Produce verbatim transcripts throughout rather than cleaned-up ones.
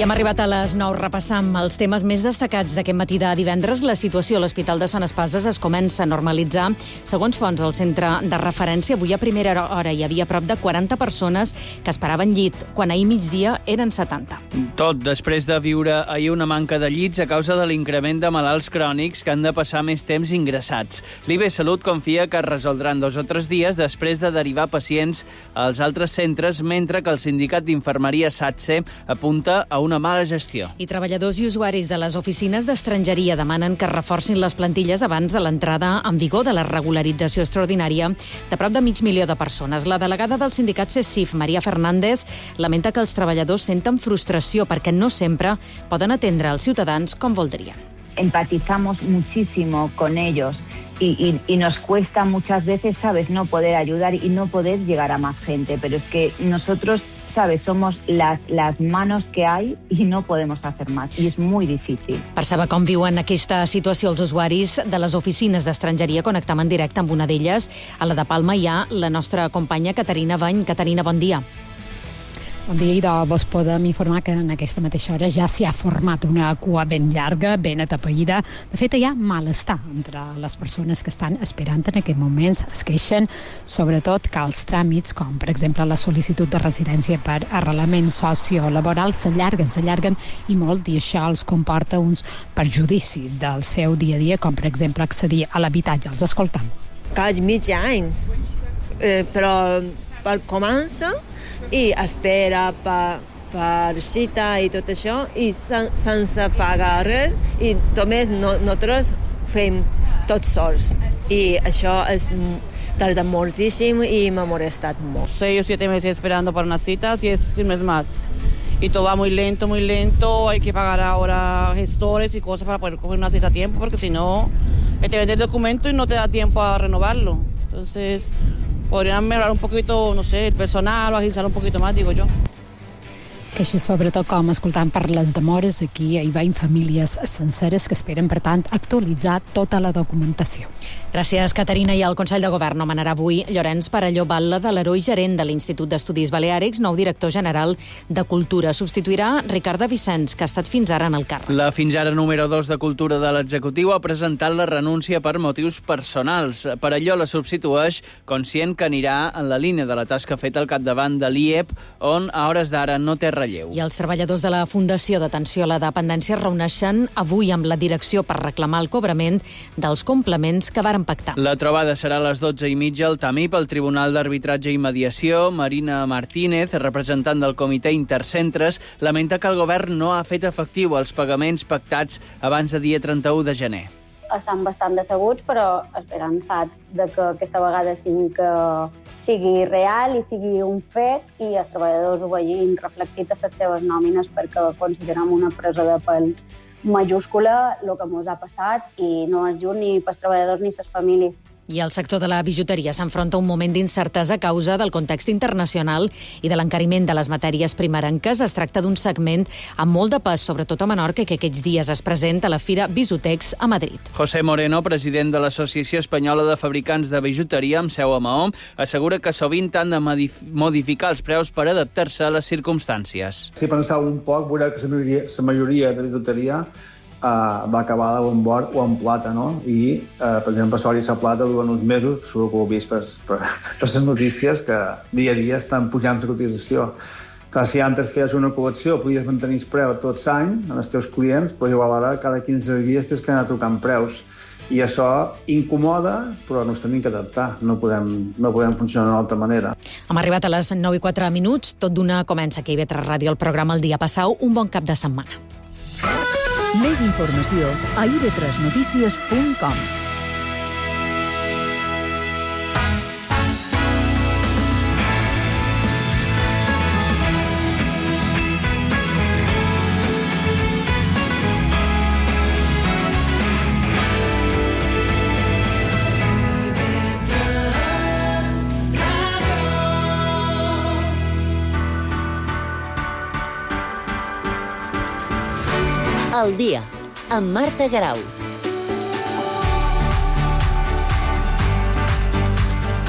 I hem arribat a les nou. Repassam els temes més destacats d'aquest matí de divendres. La situació a l'Hospital de Son Espases es comença a normalitzar. Segons fonts del centre de referència, avui a primera hora hi havia prop de quaranta persones que esperaven llit, quan ahir migdia eren setanta. Tot després de viure ahir una manca de llits a causa de l'increment de malalts crònics que han de passar més temps ingressats. L'I B Salut confia que es resoldran dos o tres dies després de derivar pacients als altres centres, mentre que el sindicat d'infermeria SATSE apunta a una mala gestió. I treballadors i usuaris de les oficines d'estrangeria demanen que es reforcin les plantilles abans de l'entrada en vigor de la regularització extraordinària de prop de mig milió de persones. La delegada del sindicat CESIF, Maria Fernández, lamenta que els treballadors senten frustració perquè no sempre poden atendre els ciutadans com voldrien. Empatizamos muchísimo con ellos y, y, y nos cuesta muchas veces, ¿sabes?, no poder ayudar y no poder llegar a más gente, pero es que nosotros, ¿sabes?, somos las, las manos que hay y no podemos hacer más, y es muy difícil. Per saber com viuen aquesta situació els usuaris de les oficines d'estrangeria, connectam en directe amb una d'elles. A la de Palma hi ha la nostra companya Caterina Bany. Caterina, bon dia. Bon dia, idò. Vos podem informar que en aquesta mateixa hora ja s'hi ha format una cua ben llarga, ben atapeïda. De fet, hi ha malestar entre les persones que estan esperant en aquest moment. Es queixen, sobretot, que els tràmits, com per exemple la sol·licitud de residència per arrelament sociolaboral, s'allarguen, s'allarguen i molt, i això els comporta uns perjudicis del seu dia a dia, com per exemple accedir a l'habitatge. Els escoltam. Cada mig anys, eh, però per comença i espera per, per cita i tot això, i sen, sense pagar res, i només no, nosaltres fem tot sols. I això es tarda moltíssim y me ha molestat molt. Seis o siete meses esperando para unas citas y es un mes más. Y todo va muy lento, muy lento. Hay que pagar ahora gestores y cosas para poder coger una cita a tiempo, porque si no, te vende el documento y no te da tiempo a renovarlo. Entonces, podrían mejorar un poquito, no sé, el personal o agilizar un poquito más, digo yo. Queixes sobretot, com escoltant, per les demores. Aquí hi veiem famílies senceres que esperen, per tant, actualitzar tota la documentació. Gràcies, Caterina. I el Consell de Govern nomenarà avui Llorenç Parelló Batlle de l'Heroi, gerent de l'Institut d'Estudis Baleàrics, nou director general de Cultura. Substituirà Ricarda Vicenç, que ha estat fins ara en el càrrec. La fins ara número dos de Cultura de l'executiu ha presentat la renúncia per motius personals. Parelló la substitueix, conscient que anirà en la línia de la tasca feta al capdavant de l'I E P, on a hores d'ara no té relleu. I els treballadors de la Fundació d'Atenció a la Dependència es reuneixen avui amb la direcció per reclamar el cobrament dels complements que varen pactar. La trobada serà a les dotze i mitja al Tamip, al Tribunal d'Arbitratge i Mediació. Marina Martínez, representant del Comitè Intercentres, lamenta que el govern no ha fet efectiu els pagaments pactats abans de dia trenta-u de gener. Estan bastant decebuts, però esperançats de que aquesta vegada sigui, que sigui real i sigui un fet i els treballadors ho vegin reflectit a les seves nòmines, perquè considerem una presa de pèl majúscula el que ens ha passat i no és just ni pels treballadors ni les famílies. I el sector de la bijuteria s'enfronta a un moment d'incertesa a causa del context internacional i de l'encariment de les matèries primerenques. Es tracta d'un segment amb molt de pes, sobretot a Menorca, que aquests dies es presenta a la Fira Bisutex a Madrid. José Moreno, president de l'Associació Espanyola de Fabricants de Bijuteria, amb seu a Maó, assegura que sovint han de modificar els preus per adaptar-se a les circumstàncies. Si penseu un poc, veureu que la majoria, la majoria de bijuteria Uh, va acabar o en or o en plata, no? I, uh, per exemple, l'or i la plata durant uns mesos, segur que ho heu vist per, per, per les notícies, que dia a dia estan pujant la cotització. Clar, si antes feies una col·lecció, podies mantenir el preu tot l'any als teus clients, però igual ara cada quinze dies tens que anar tocant preus. I això incomoda, però ens tenim que adaptar. No podem, no podem funcionar d'una altra manera. Hem arribat a les nou i quatre minuts. Tot d'una comença aquí a I V tres Ràdio, el programa El dia passau. Un bon cap de setmana. Més informació a i ve tres notícies punt com. El dia, amb Marta Garau.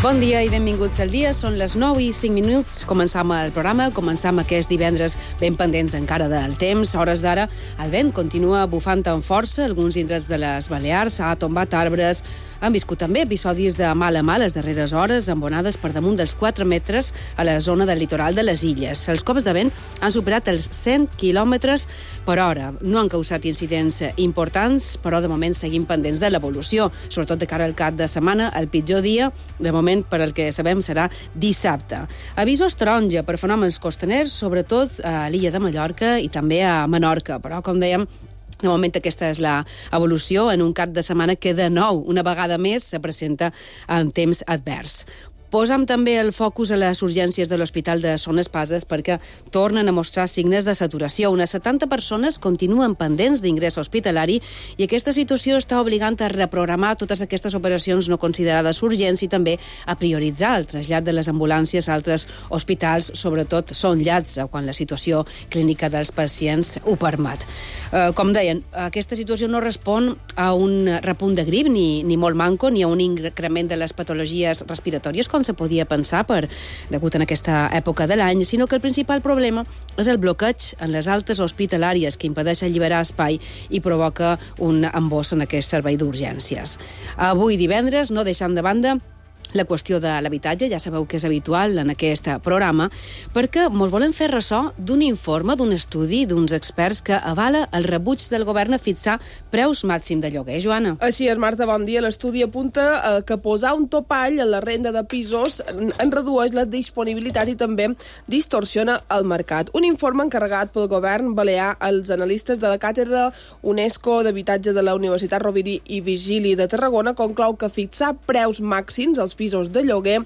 Bon dia i benvinguts al dia. Són les nou i cinc minuts. Començam el programa, començam aquest divendres Ben pendents encara del temps, a hores d'ara el vent continua bufant amb força, alguns indrets de les Balears ha tombat arbres, han viscut també episodis de mal a mal les darreres hores, amb onades per damunt dels quatre metres a la zona del litoral de les illes. Els cops de vent han superat els cent quilòmetres per hora. No han causat incidents importants, però de moment seguim pendents de l'evolució, sobretot de cara al cap de setmana. El pitjor dia, de moment, per al que sabem, serà dissabte. Avisos taronja per fenòmens costaners, sobretot a l'illa de Mallorca i també a Menorca, però, com dèiem, de moment aquesta és l'evolució en un cap de setmana que de nou, una vegada més, se presenta en temps advers. Posam també el focus a les urgències de l'Hospital de Son Espases perquè tornen a mostrar signes de saturació. Unes setanta persones continuen pendents d'ingrés hospitalari i aquesta situació està obligant a reprogramar totes aquestes operacions no considerades urgents i també a prioritzar el trasllat de les ambulàncies a altres hospitals, sobretot són llats, quan la situació clínica dels pacients ho permet. Eh, com deien, aquesta situació no respon a un repunt de grip ni, ni molt manco, ni a un increment de les patologies respiratòries, com se podia pensar per degut en aquesta època de l'any, sinó que el principal problema és el bloqueig en les altes hospitalàries que impedeix alliberar espai i provoca un embòs en aquest servei d'urgències. Avui divendres, no deixant de banda la qüestió de l'habitatge, ja sabeu que és habitual en aquest programa, perquè ens volem fer ressò d'un informe, d'un estudi, d'uns experts que avala el rebuig del govern a fixar preus màxim de lloguer. Joana. Així és, Marta, bon dia. L'estudi apunta eh, que posar un topall en la renda de pisos en, en redueix la disponibilitat i també distorsiona el mercat. Un informe encarregat pel govern balear als analistes de la càtedra UNESCO d'Habitatge de la Universitat Rovira i Virgili de Tarragona conclou que fixar preus màxims als pisos de lloguer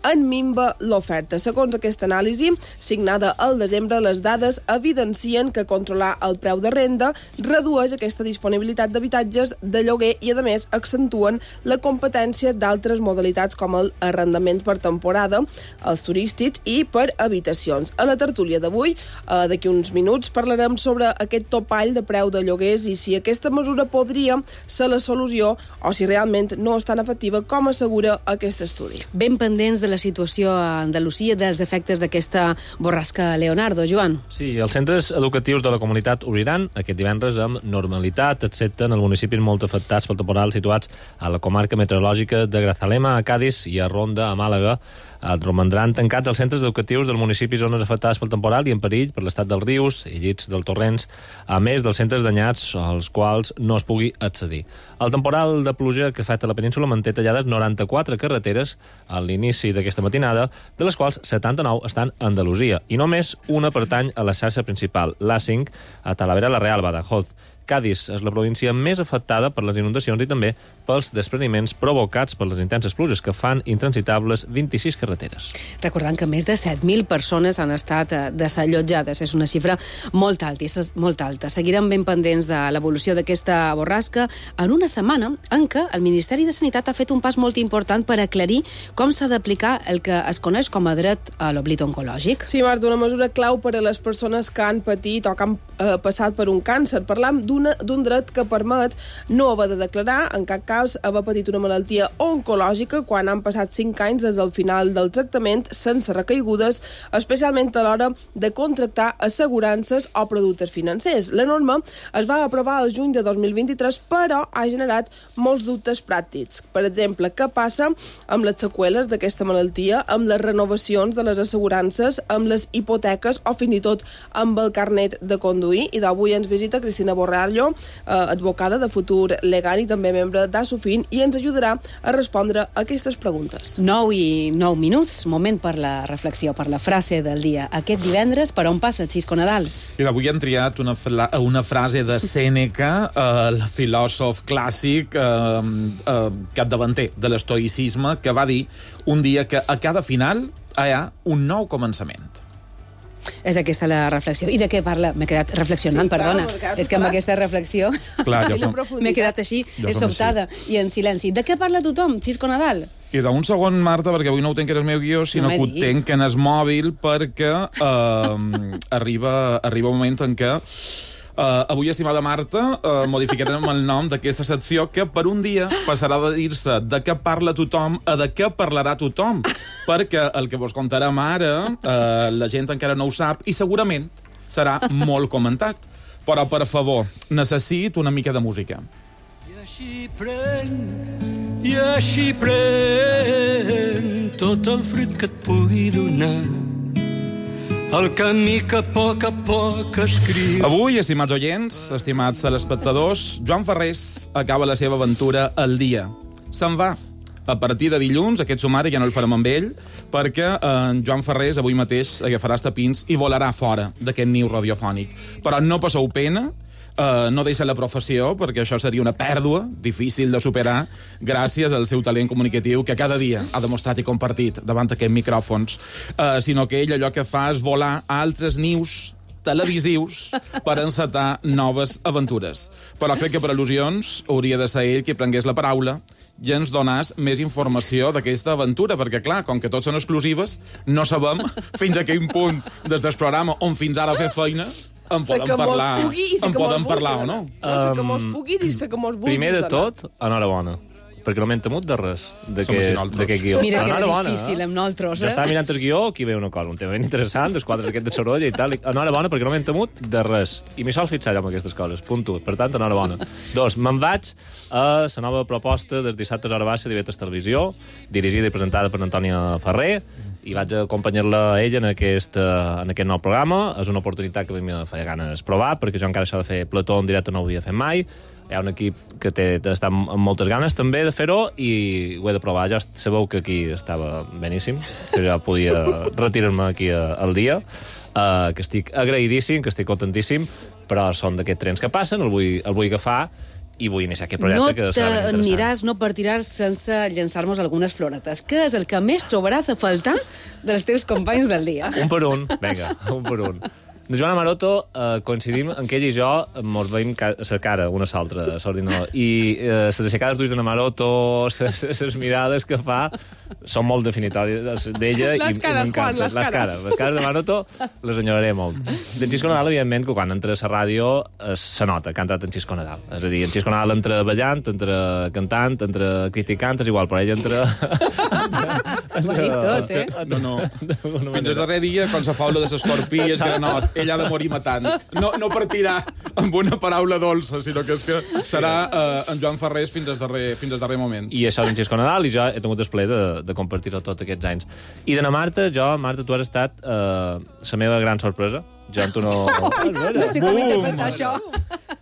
en minva l'oferta. Segons aquesta anàlisi, signada al desembre, les dades evidencien que controlar el preu de renda redueix aquesta disponibilitat d'habitatges de lloguer i, a més, accentuen la competència d'altres modalitats com el arrendament per temporada, els turístics i per habitacions. A la tertúlia d'avui, eh, d'aquí uns minuts, parlarem sobre aquest topall de preu de lloguers i si aquesta mesura podria ser la solució o si realment no és tan efectiva com assegura aquesta estudi. Ben pendents de la situació a Andalusia, dels efectes d'aquesta borrasca Leonardo. Joan. Sí, els centres educatius de la comunitat obriran aquest divendres amb normalitat, excepte en els municipis molt afectats pel temporal situats a la comarca meteorològica de Grazalema, a Cádiz i a Ronda, a Màlaga. Romandran tancats els centres educatius dels municipis zones afectades pel temporal i en perill per l'estat dels rius i llits del torrents, a més dels centres danyats als quals no es pugui accedir. El temporal de pluja que afecta la península manté tallades noranta-quatre carreteres a l'inici d'aquesta matinada, de les quals setanta-nou estan a Andalusia, i només una pertany a la xarxa principal, l'A cinc, a Talavera la Real, Badajoz. Cádiz és la província més afectada per les inundacions i també pels despreniments provocats per les intenses pluges que fan intransitables vint-i-sis carreteres. Recordant que més de set mil persones han estat desallotjades. És una xifra molt alta, molt alta. Seguirem ben pendents de l'evolució d'aquesta borrasca en una setmana en què el Ministeri de Sanitat ha fet un pas molt important per aclarir com s'ha d'aplicar el que es coneix com a dret a l'oblit oncològic. Sí, Marta, una mesura clau per a les persones que han patit o que han eh, passat per un càncer. Parlam d'un d'un dret que permet no haver de declarar, en cap cas haver patit una malaltia oncològica quan han passat cinc anys des del final del tractament sense recaigudes, especialment a l'hora de contractar assegurances o productes financers. La norma es va aprovar el juny de dos mil vint-i-tres, però ha generat molts dubtes pràctics. Per exemple, què passa amb les seqüeles d'aquesta malaltia, amb les renovacions de les assegurances, amb les hipoteques o fins i tot amb el carnet de conduir? I d'avui ens visita Cristina Borrell, advocada de futur legal i també membre d'Asofin, i ens ajudarà a respondre a aquestes preguntes. nou i nou minuts, moment per la reflexió, per la frase del dia. Aquest divendres, per on passa Xisco Nadal? I avui han triat una, una frase de Sèneca, eh, el filòsof clàssic, eh, eh, capdavanter de l'estoïcisme, que va dir un dia que a cada final hi ha un nou començament. És aquesta la reflexió. I de què parla? M'he quedat reflexionant, sí, perdona. Clar, és que amb aquesta reflexió m'he quedat així, sobtada i en silenci. De què parla tothom, Xisco Nadal? I d'un segon, Marta, perquè avui no ho tenc que era el meu guió, sinó no que ho tenc en el mòbil, perquè eh, arriba, arriba un moment en què Uh, avui, estimada Marta, uh, modificarem el nom d'aquesta secció que per un dia passarà de dir-se de què parla tothom a de què parlarà tothom, perquè el que vos contarem ara uh, la gent encara no ho sap i segurament serà molt comentat. Però, per favor, necessito una mica de música. I així pren, i així pren tot el fruit que et pugui donar el camí que a poc a poc escriu. Avui, estimats oients, estimats telespectadors, Joan Ferrés acaba la seva aventura al dia. Se'n va. A partir de dilluns, aquest sumari ja no el farem amb ell, perquè en Joan Ferrés avui mateix agafarà els tapins i volarà fora d'aquest niu radiofònic. Però no passeu pena, Uh, no deixa la professió, perquè això seria una pèrdua difícil de superar gràcies al seu talent comunicatiu que cada dia ha demostrat i compartit davant d'aquests micròfons, uh, sinó que ell allò que fa és volar a altres nius televisius per encetar noves aventures. Però crec que per al·lusions hauria de ser ell qui prengués la paraula i ens donàs més informació d'aquesta aventura, perquè, clar, com que tots són exclusives, no sabem fins a quin punt des del programa on fins ara fer feina en poden parlar, en poden parlar o no. No sé que mos puguis i sé que mos vulguis. Primer de tot, enhorabona, perquè no m'hem temut de res d'aquest guió. Mira que era difícil amb nosaltres, eh? Ja estava mirant el guió, aquí veia una cosa, un tema ben interessant, els quadres aquest de sorolla i tal. Enhorabona, perquè no m'hem temut de res. I m'hi sol fixar jo amb aquestes coses, punt u. Per tant, enhorabona. Dos, me'n vaig a la nova proposta dels dissabtes a hora baixa d'I V tres Televisió, dirigida i presentada per Antònia Ferrer, i vaig acompanyar-la a ella en aquest, en aquest nou programa. És una oportunitat que a mi me feia ganes provar, perquè jo encara això de fer plató en directe no ho havia fet mai. Hi ha un equip que té, està amb moltes ganes també de fer-ho i ho he de provar. Ja sabeu que aquí estava beníssim, que ja podia retirar-me aquí al dia, uh, que estic agraïdíssim, que estic contentíssim, però són d'aquests trens que passen, el vull, el vull agafar i vull iniciar aquest projecte, no que serà ben interessant. No t'aniràs, no partiràs sense llençar-nos algunes floretes. Què és el que més trobaràs a faltar dels teus companys del dia? Un per un, vinga, un per un. De Joana Maroto eh, coincidim en que ell i jo mos veiem la cara una a l'altra, i eh, les aixecades d'ulls de Maroto, les mirades que fa, són molt definitòries d'ella i m'encanta. Les cares. Les cares de Maroto les enyoraré molt. D'en Xisco Nadal, evidentment, que quan entra a la ràdio se nota que ha entrat en Xisco Nadal. És a dir, en Xisco Nadal entra ballant, entra cantant, entra criticant, és igual, però ell entra... Ho ha dit tot, eh? No, no. Fins el darrer dia, quan se fa de l'escorpí és granot, ell ha de morir matant. No, no partirà amb una paraula dolça, sinó que, és que serà eh, en Joan Ferrés fins al darrer, fins al darrer moment. I això és en Xisco Nadal, i jo he tingut el plaer de, de compartir-ho tots aquests anys. I de na Marta, jo, Marta, tu has estat eh, la meva gran sorpresa. Jo en tu no... No sé com interpretar això.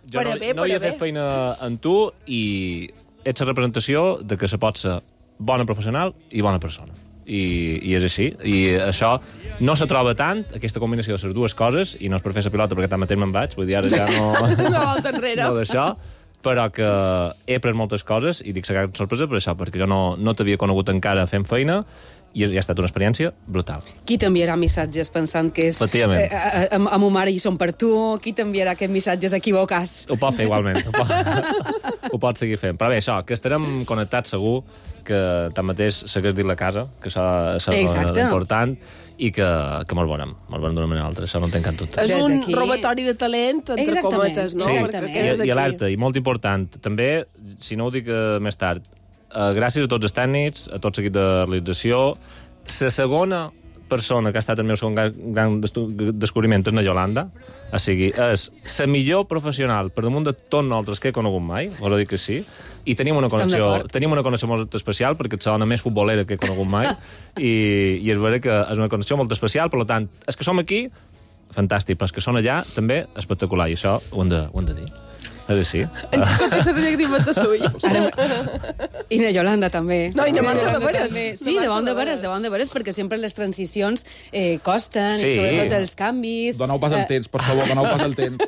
Jo no, no havia fet feina en tu i ets la representació de que se pot ser bona professional i bona persona. I, i és així. I això no se troba tant, aquesta combinació de les dues coses, i no és per fer la pilota perquè tanmateix me'n vaig, vull dir, ara ja no... No volta enrere. No d'això, però que he après moltes coses, i dic la gran sorpresa per això, perquè jo no, no t'havia conegut encara fent feina, i ha estat una experiència brutal. Qui t'enviarà missatges pensant que és... Efectivament. Eh, amb, amb mare i són per tu? Qui t'enviarà aquests missatges equivocats? Ho pot fer igualment. Ho pot, ho pot seguir fent. Però bé, això, que estarem connectats segur, que tanmateix s'hagués dit la casa, que això és important, i que, que molt bonem, molt bonem d'una manera o altra, això no en tenc cap dubte. És un robatori de talent, entre exactament, cometes, no? Sí, I, i alerta, i molt important. També, si no ho dic uh, més tard, uh, gràcies a tots els tècnics, a tot l'equip de realització, la segona persona que ha estat el meu segon gran descobriment és na Yolanda, o sigui, és la millor professional per damunt de tot nosaltres que he conegut mai, us ho dic que sí, i tenim una connexió, tenim una connexió molt especial perquè ets la dona més futbolera que he conegut mai i, i és vera que és una connexió molt especial, per tant, els que som aquí, fantàstic, però els que són allà, també espectacular, i això ho hem de, ho hem de dir. És així. En Xico té les llàgrimes de sull. I na Yolanda també. No, i na Marta de veres. Sí, de bon de veres, de bon de veres, perquè sempre les transicions eh, costen, sí. I sobretot els canvis... Doneu pas el temps, per favor, doneu pas el temps.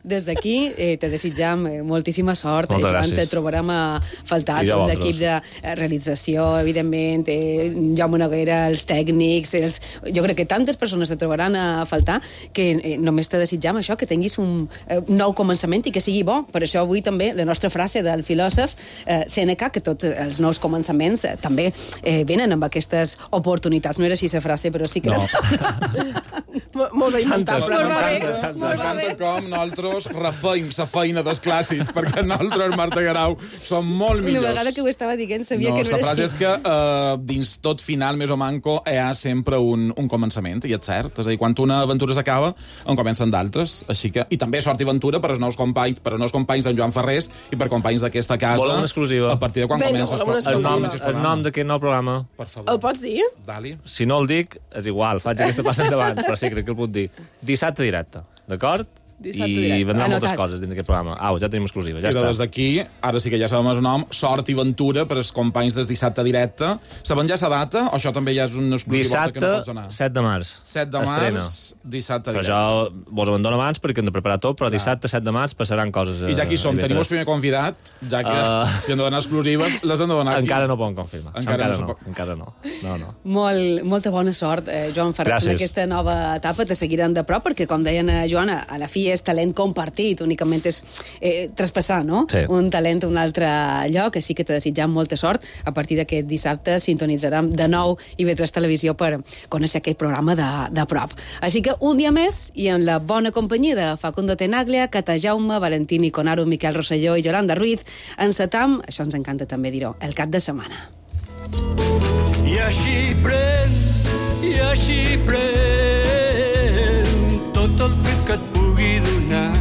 Des d'aquí eh, te desitjam eh, moltíssima sort. Moltes eh, gràcies. Te trobarem a faltar tot l'equip de realització, evidentment, eh, Jaume Noguera, els tècnics, els... jo crec que tantes persones te trobaran a faltar que eh, només te desitjam això, que tinguis un eh, nou començament i que sigui bo. Per això avui també la nostra frase del filòsof eh, Sèneca, que tots els nous començaments eh, també eh, venen amb aquestes oportunitats. No era així la frase, però sí que... No. Mos ha inventat. M'encanta com nosaltres nosaltres refeim la feina dels clàssics, perquè nosaltres, Marta Guerau, som molt millors. Una vegada que ho estava dient, sabia no, que no eres eres frase és que uh, dins tot final, més o manco, hi ha sempre un, un començament, i és cert. És a dir, quan una aventura s'acaba, en comencen d'altres. Així que... I també sort i aventura per als nous companys, per als nous companys d'en Joan Ferrés i per companys d'aquesta casa. Volen una exclusiva. A partir de quan Vinga, comença volem una el, nom, exclusiva. El nom d'aquest nou programa. Per favor. El pots dir? Dali. Si no el dic, és igual, faig aquesta passa endavant, però sí, crec que el puc dir. Dissabte directe, d'acord? Dissabte I directe. vendran Anotat. moltes coses dins d'aquest programa. Au, ja tenim exclusiva, ja I està. des d'aquí, ara sí que ja sabem el nom, sort i aventura per als companys des dissabte directe. Sabem ja la data o això també ja és una exclusiva que no pots donar? Dissabte, set de març. set de març, dissabte Però directe. jo vos abandono abans perquè hem de preparar tot, però dissabte, set de març, passaran coses. I ja aquí som, a tenim el I V tres. primer convidat, ja que Uh, si han de donar exclusives, les han de donar aquí. Encara no poden confirmar. Encara Encara, no no, se pot. encara no. No, no. Molt, molta bona sort, eh, Joan Ferrés, en Gràcies. aquesta nova etapa. Te seguiran de prop, perquè, com deien a Joana, a la fi és talent compartit, únicament és eh, traspassar, no? Sí. Un talent a un altre lloc, així que te desitjam molta sort. A partir d'aquest dissabte sintonitzarem de nou I V tres Televisió per conèixer aquest programa de, de prop. Així que un dia més, i en la bona companyia de Facundo Tenaglia, Cata Jaume, Valentini Conaro, Miquel Rosselló i Yolanda Ruiz, encetam, això ens encanta també dir-ho, el cap de setmana. I així pren, i així pren tot el fet que et pugui donar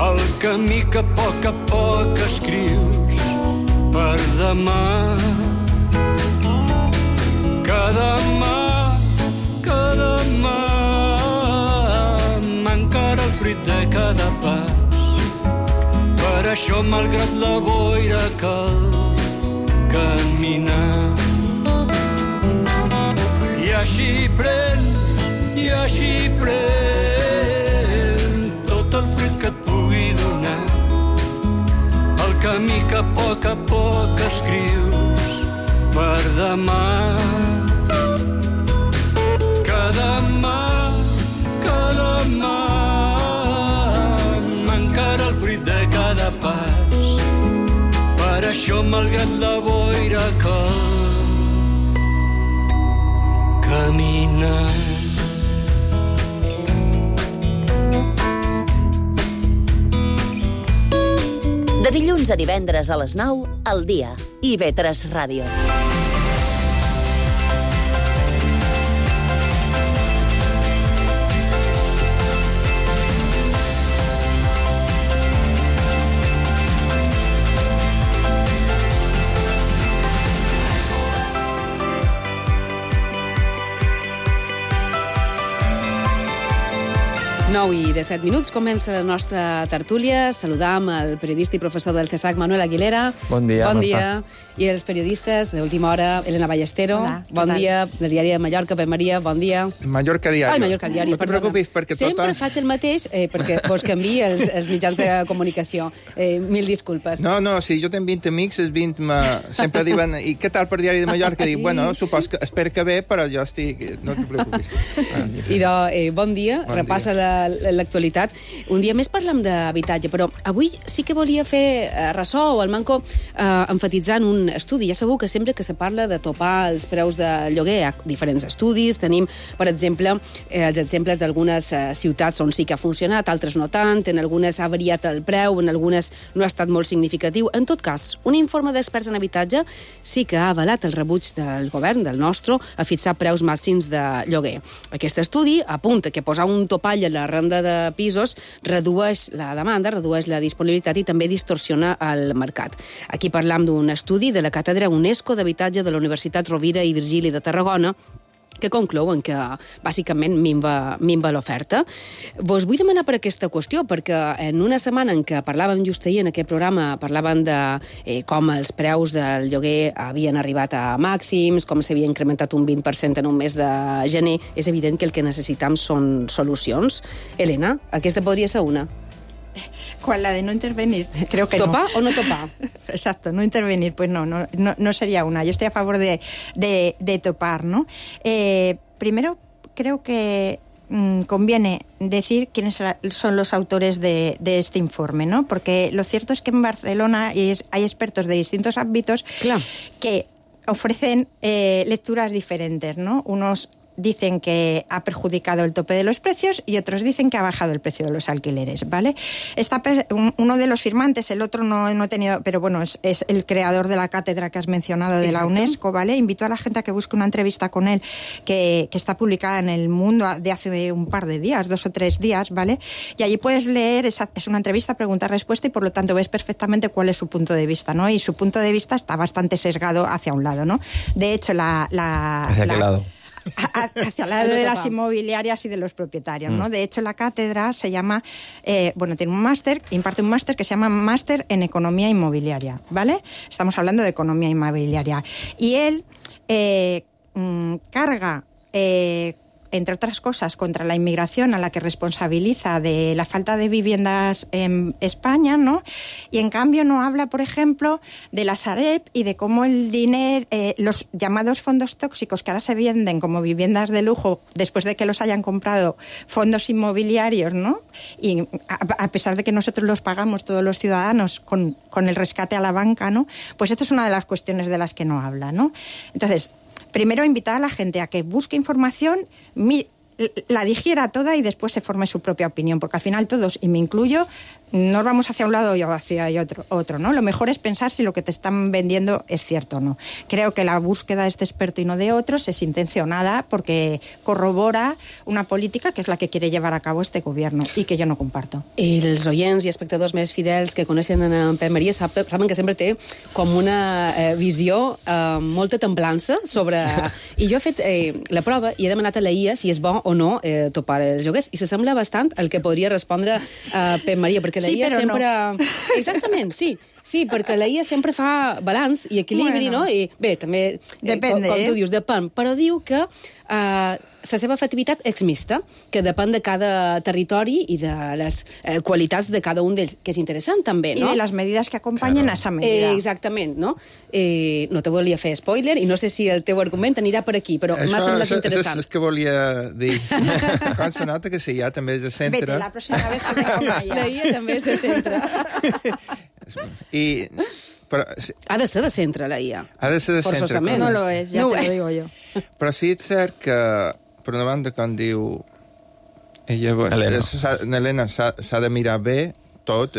el camí que a poc a poc escrius per demà. Que demà, que demà m'encara el fruit de cada pas. Per això, malgrat la boira, cal caminar. I així pren, i així pren tot el fruit que et pugui donar el camí que a poc a poc escrius per demà. Que demà, que demà m'encara el fruit de cada pas. Per això, malgrat la boira, cal caminar. De dilluns a divendres a les nou, al dia. I V tres Ràdio. nou i disset minuts, comença la nostra tertúlia. Saludam el periodista i professor del CESAC, Manuel Aguilera. Bon dia, Bon Marta. dia. I els periodistes d'Última Hora, Elena Ballestero. Hola, què bon tal? dia. Del diari de Mallorca, Pep Maria, bon dia. Mallorca Diario. Ai, Mallorca Diari, No te perdona. preocupis, perquè Sempre tota... faig el mateix, eh, perquè vos canvi els, els mitjans de comunicació. Eh, mil disculpes. No, no, si jo tenc vint amics, els vint me... sempre diuen, i què tal per Diari de Mallorca? Dic, bueno, supos que, espero que bé, però jo estic... No te preocupis. Ah, Idò, eh, bon dia, Bon repassa la- l'actualitat. Un dia més parlem d'habitatge, però avui sí que volia fer eh, ressò o el manco eh, enfatitzant un estudi. Ja sabeu que sempre que se parla de topar els preus de lloguer, hi ha diferents estudis. Tenim, per exemple, eh, els exemples d'algunes eh, ciutats on sí que ha funcionat, altres no tant, en algunes ha variat el preu, en algunes no ha estat molt significatiu. En tot cas, un informe d'experts en habitatge sí que ha avalat el rebuig del govern, del nostre, a fixar preus màxims de lloguer. Aquest estudi apunta que posar un topall a la renda de pisos redueix la demanda, redueix la disponibilitat i també distorsiona el mercat. Aquí parlam d'un estudi de la Càtedra UNESCO d'Habitatge de la Universitat Rovira i Virgili de Tarragona, que conclouen que, bàsicament, minva, minva l'oferta. Vos vull demanar per aquesta qüestió, perquè en una setmana en què parlàvem just ahir en aquest programa, parlàvem de eh, com els preus del lloguer havien arribat a màxims, com s'havia incrementat un vint per cent en un mes de gener, és evident que el que necessitam són solucions. Elena, aquesta podria ser una. ¿Cuál? La de no intervenir. Creo que ¿Topa no. o no topa? Exacto, no intervenir. Pues no, no, no, no sería una. Yo estoy a favor de, de, de topar, ¿no? Eh, primero, creo que mmm, conviene decir quiénes son los autores de, de este informe, ¿no? Porque lo cierto es que en Barcelona hay expertos de distintos ámbitos claro. que ofrecen eh, lecturas diferentes, ¿no? Unos dicen que ha perjudicado el tope de los precios y otros dicen que ha bajado el precio de los alquileres, ¿vale? Está uno de los firmantes, el otro no, no he tenido, pero bueno, es, es el creador de la cátedra que has mencionado de Exacto. la UNESCO, ¿vale? Invito a la gente a que busque una entrevista con él que, que está publicada en El Mundo de hace un par de días, dos o tres días, ¿vale? Y allí puedes leer, esa, es una entrevista, pregunta-respuesta, y por lo tanto ves perfectamente cuál es su punto de vista, ¿no? Y su punto de vista está bastante sesgado hacia un lado, ¿no? De hecho, la... la ¿Hacia la, qué lado? Hacia el lado de las inmobiliarias y de los propietarios, ¿no? De hecho, la cátedra se llama, eh, bueno, tiene un máster, imparte un máster que se llama Máster en Economía Inmobiliaria, ¿vale? Estamos hablando de economía inmobiliaria. Y él eh, mmm, carga... Eh, entre otras cosas, contra la inmigración, a la que responsabiliza de la falta de viviendas en España, ¿no? Y en cambio no habla, por ejemplo, de la Sareb y de cómo el dinero, eh, los llamados fondos tóxicos que ahora se venden como viviendas de lujo después de que los hayan comprado fondos inmobiliarios, ¿no? Y a, a pesar de que nosotros los pagamos todos los ciudadanos con, con el rescate a la banca, ¿no? Pues esta es una de las cuestiones de las que no habla, ¿no? Entonces, primero, invitar a la gente a que busque información, mi, la digiera toda y después se forme su propia opinión, porque al final todos, y me incluyo, nos vamos hacia un lado y hacia otro, otro, ¿no? Lo mejor es pensar si lo que te están vendiendo es cierto o no. Creo que la búsqueda de este experto y no de otros es intencionada porque corrobora una política que és la que quiere llevar a cabo este gobierno i que jo no comparto. I els oients i espectadors més fidels que coneixen en Pep Maria saben que sempre té com una eh, visió, eh, molta templança sobre... I jo he fet eh, la prova i he demanat a la I A si és bo o no eh, topar els lloguers i s'assembla bastant al que podria respondre eh, Pep Maria, perquè la sí, I A sempre... No. Exactament, sí. Sí, perquè la I A sempre fa balanç i equilibri, bueno. No? I bé, també, Depende, com, com eh? tu dius, depèn, però diu que eh, la seva efectivitat és mixta, que depèn de cada territori i de les eh, qualitats de cada un d'ells, que és interessant també, no? I de les medidas que acompanyen claro. a esa medida. Eh, exactament, no? Eh, no te volia fer spoiler i no sé si el teu argument anirà per aquí, però m'ha semblat interessant. Això és que volia dir. Com se nota que sí, ja també és de centre. Vete, la pròxima vez que venga una I A. La I A també és de centre. I... Però, ha de ser de centre, la I A. Ha de ser de centre. Forçosament. No lo és, ja no te lo digo jo. Però sí és cert que, per una banda, quan diu... Ella, Helena, Helena s'ha de mirar bé tot.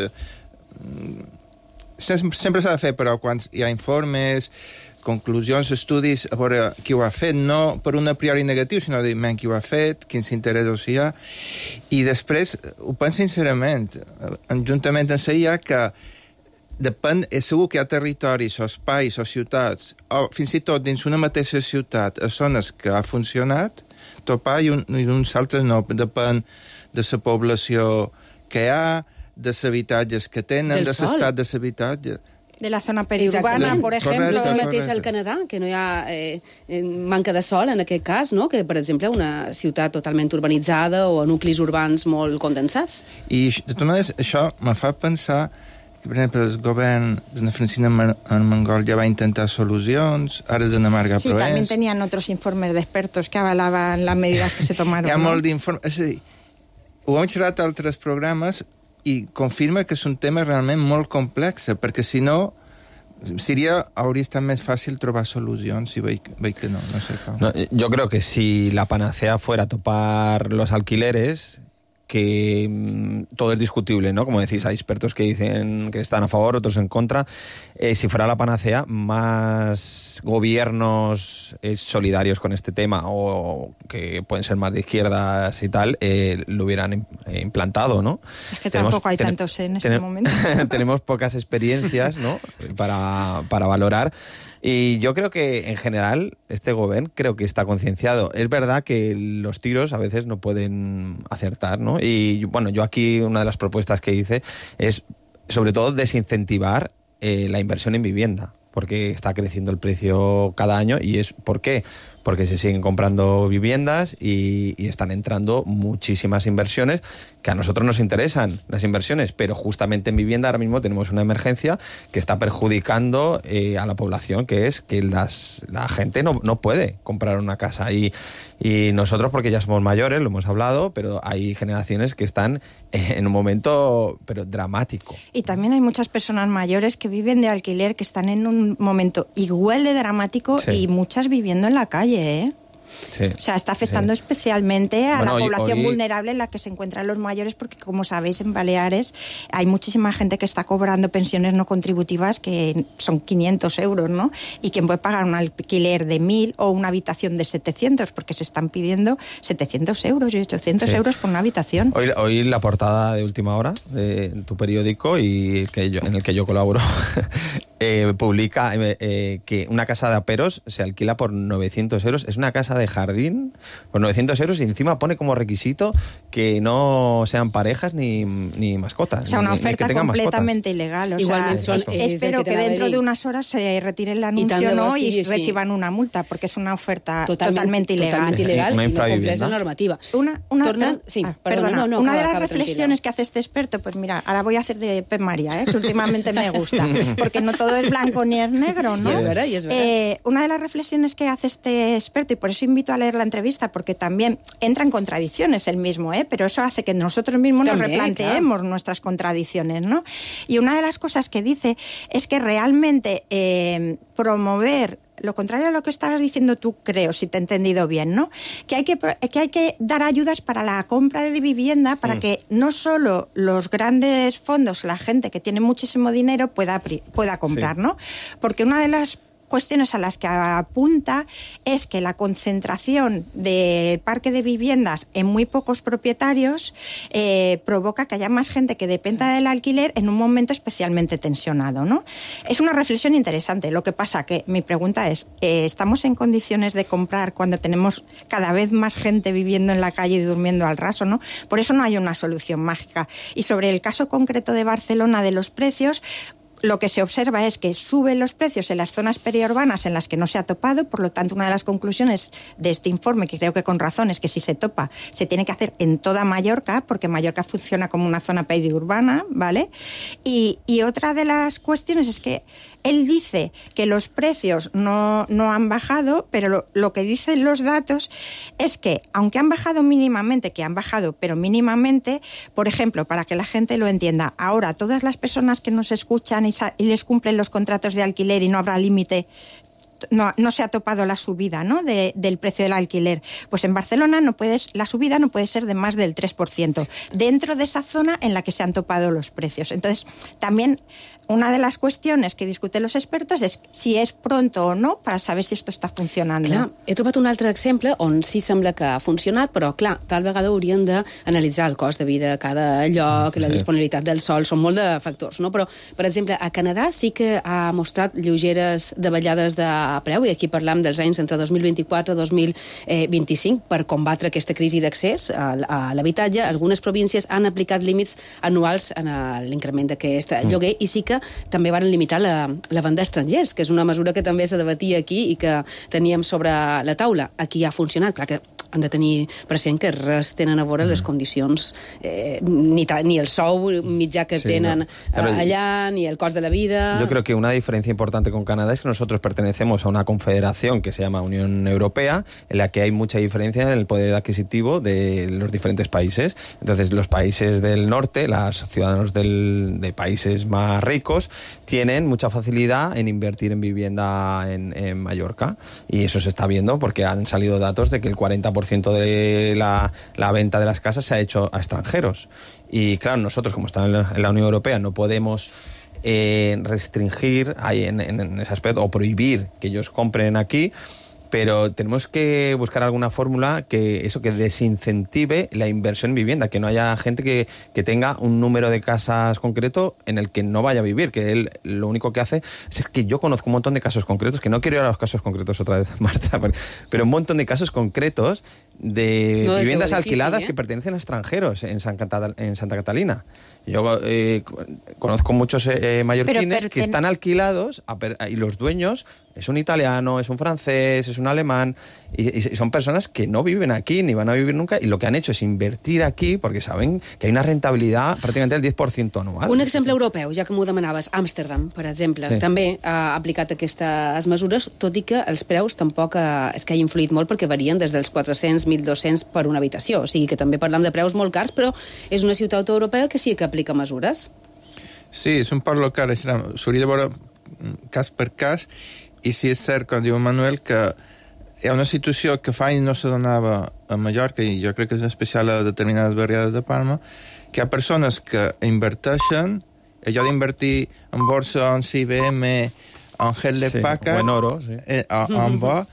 Sempre s'ha de fer, però quan hi ha informes, conclusions, estudis, a veure qui ho ha fet, no per un a priori negatiu, sinó dir, men, qui ho ha fet, quins interessos hi ha. I després, ho penso sincerament, juntament amb la I A, que depèn, és segur que hi ha territoris o espais o ciutats, o fins i tot dins una mateixa ciutat, a zones que ha funcionat, topar i, un, i uns altres no. Depèn de la població que hi ha, de els habitatges que tenen, de l'estat de l'habitatge. De la zona periurbana, por ejemplo. El mateix al Canadà, que no hi ha eh, manca de sol en aquest cas, no? Que, per exemple, una ciutat totalment urbanitzada o nuclis urbans molt condensats. I, de totes maneres, això me fa pensar que, per exemple, el govern de Francina Armengol ja va intentar solucions, ara és de Marga sí, Proens. Sí, también tenían otros informes de expertos que avalaban las medidas que se tomaron. Hi ha no? molt d'informes. És a dir, ho hem xerrat a altres programes i confirma que és un tema realment molt complex, perquè si no, seria, hauria estat més fàcil trobar solucions, si veig, veig que no, no sé com. No, yo creo que si la panacea fuera topar los alquileres, que mmm, todo es discutible, ¿no? Como decís, hay expertos que dicen que están a favor, otros en contra. Eh, si fuera la panacea, más gobiernos eh, solidarios con este tema o que pueden ser más de izquierdas y tal, eh, lo hubieran eh, implantado, ¿no? Es que tenemos, tampoco hay ten, tantos en este ten, momento. Tenemos pocas experiencias, ¿no? Para, para valorar. Y yo creo que, en general, este gobierno creo que está concienciado. Es verdad que los tiros a veces no pueden acertar, ¿no? Y, bueno, yo aquí una de las propuestas que hice es, sobre todo, desincentivar eh, la inversión en vivienda, porque está creciendo el precio cada año. ¿Y es por qué? Porque se siguen comprando viviendas y, y están entrando muchísimas inversiones que a nosotros nos interesan, las inversiones, pero justamente en vivienda ahora mismo tenemos una emergencia que está perjudicando eh, a la población, que es que las, la gente no, no puede comprar una casa. Y, y nosotros, porque ya somos mayores, lo hemos hablado, pero hay generaciones que están en un momento pero dramático. Y también hay muchas personas mayores que viven de alquiler, que están en un momento igual de dramático sí. Y muchas viviendo en la calle, ¿eh? Sí, o sea, está afectando sí. especialmente a bueno, la población hoy, hoy... vulnerable en la que se encuentran los mayores, porque como sabéis en Baleares hay muchísima gente que está cobrando pensiones no contributivas que son quinientos euros, ¿no? Y quien puede pagar un alquiler de mil o una habitación de setecientos, porque se están pidiendo setecientos euros y ochocientos sí. euros por una habitación. Hoy, hoy la portada de Última Hora de tu periódico y que yo, en el que yo colaboro eh, publica eh, eh, que una casa de aperos se alquila por novecientos euros. Es una casa de jardín por novecientos euros y encima pone como requisito que no sean parejas ni, ni mascotas. O sea, una ni, oferta ni completamente mascotas. Ilegal. O Igualmente sea, son, espero que, que dentro de unas horas se retire el anuncio no sí, y sí. reciban una multa, porque es una oferta totalmente, totalmente ilegal. Totalmente ilegal una y no cumpleix la normativa. Una, una, Torna, sí, ah, perdona, perdona, no, no, una de las acaba, reflexiones tranquila. Que hace este experto, pues mira, ahora voy a hacer de Pep María, ¿eh? Que últimamente me gusta, porque no todo es blanco ni es negro, ¿no? Y es verdad, y es verdad. Eh, una de las reflexiones que hace este experto, y por eso invito a leer la entrevista, porque también entra en contradicciones el mismo, ¿eh? Pero eso hace que nosotros mismos también, nos replanteemos claro. nuestras contradicciones, ¿no? Y una de las cosas que dice es que realmente eh, promover lo contrario a lo que estabas diciendo tú, creo, si te he entendido bien, ¿no? Que hay que, que, hay que dar ayudas para la compra de vivienda para mm. que no solo los grandes fondos, la gente que tiene muchísimo dinero pueda, pueda comprar, sí. ¿no? Porque una de las cuestiones a las que apunta es que la concentración del parque de viviendas en muy pocos propietarios eh, provoca que haya más gente que dependa del alquiler en un momento especialmente tensionado, ¿no? Es una reflexión interesante. Lo que pasa que mi pregunta es, eh, ¿estamos en condiciones de comprar cuando tenemos cada vez más gente viviendo en la calle y durmiendo al raso, ¿no? Por eso no hay una solución mágica. Y sobre el caso concreto de Barcelona de los precios, lo que se observa es que suben los precios en las zonas periurbanas en las que no se ha topado, por lo tanto, una de las conclusiones de este informe, que creo que con razón, es que si se topa, se tiene que hacer en toda Mallorca, porque Mallorca funciona como una zona periurbana, ¿vale? Y, y otra de las cuestiones es que él dice que los precios no, no han bajado, pero lo, lo que dicen los datos es que, aunque han bajado mínimamente, que han bajado, pero mínimamente, por ejemplo, para que la gente lo entienda, ahora todas las personas que nos escuchan y, y les cumplen los contratos de alquiler y no habrá límite, no, no se ha topado la subida, ¿no? de, del precio del alquiler. Pues en Barcelona no puedes, la subida no puede ser de más del tres por ciento dentro de esa zona en la que se han topado los precios. Entonces, también una de les cuestiones que discuten los expertos és si és pronto o no per saber si esto està funcionant. Clar, he trobat un altre exemple on sí sembla que ha funcionat, però clar, tal vegada haurien d'analitzar el cost de vida a cada lloc, sí. la disponibilitat del sol, són molt de factors, no? Però, per exemple, a Canadà sí que ha mostrat lleugeres davallades de preu, i aquí parlam dels anys entre dos mil vint-i-quatre i dos mil vint-i-cinc per combatre aquesta crisi d'accés a l'habitatge. Algunes províncies han aplicat límits anuals en l'increment d'aquest lloguer i sí que també van limitar la, la venda d'estrangers, que és una mesura que també se debatia aquí i que teníem sobre la taula. Aquí ha funcionat, clar que han de tenir present que res tenen a veure les condicions, eh, ni, ni el sou mitjà que sí, tenen no. allá, ni el cost de la vida. Yo creo que una diferencia importante con Canadá es que nosotros pertenecemos a una confederación que se llama Unión Europea, en la que hay mucha diferencia en el poder adquisitivo de los diferentes países. Entonces, los países del norte, los ciudadanos del, de países más ricos, tienen mucha facilidad en invertir en vivienda en, en Mallorca. Y eso se está viendo porque han salido datos de que el cuarenta por ciento de la, la venta de las casas se ha hecho a extranjeros. Y claro, nosotros, como estamos en la, en la Unión Europea, no podemos eh, restringir ahí en, en, en ese aspecto o prohibir que ellos compren aquí, pero tenemos que buscar alguna fórmula que eso que desincentive la inversión en vivienda, que no haya gente que, que tenga un número de casas concreto en el que no vaya a vivir, que él lo único que hace es que yo conozco un montón de casos concretos, que no quiero ir a los casos concretos otra vez, Marta, pero un montón de casos concretos de no, viviendas difícil, alquiladas ¿eh? que pertenecen a extranjeros en, San Cata, en Santa Catalina. Yo eh, conozco muchos eh, mallorquines pero, que están alquilados a, y los dueños es un italiano, es un francés, es un alemán y, y son personas que no viven aquí ni van a vivir nunca y lo que han hecho es invertir aquí porque saben que hay una rentabilidad prácticamente del diez por ciento anual. Un exemple europeu, ja que m'ho demanaves, Amsterdam, per exemple, sí. també ha aplicat aquestes mesures, tot i que els preus tampoc eh, és que hagi influït molt perquè varien des dels quatre-cents a mil dos-cents per una habitació, o sigui que també parlam de preus molt cars, però és una ciutat europea que sí que aplica mesures. Sí, és un parc local, s'hauria de veure cas per cas. I sí és cert, com diu Manuel, que hi ha una situació que fa i no se donava a Mallorca, i jo crec que és especial a determinades barriades de Palma, que hi ha persones que inverteixen, allò d'invertir en borsa, en C I B M, en Hewlett Packard, sí, o en oro, sí. eh, en bo,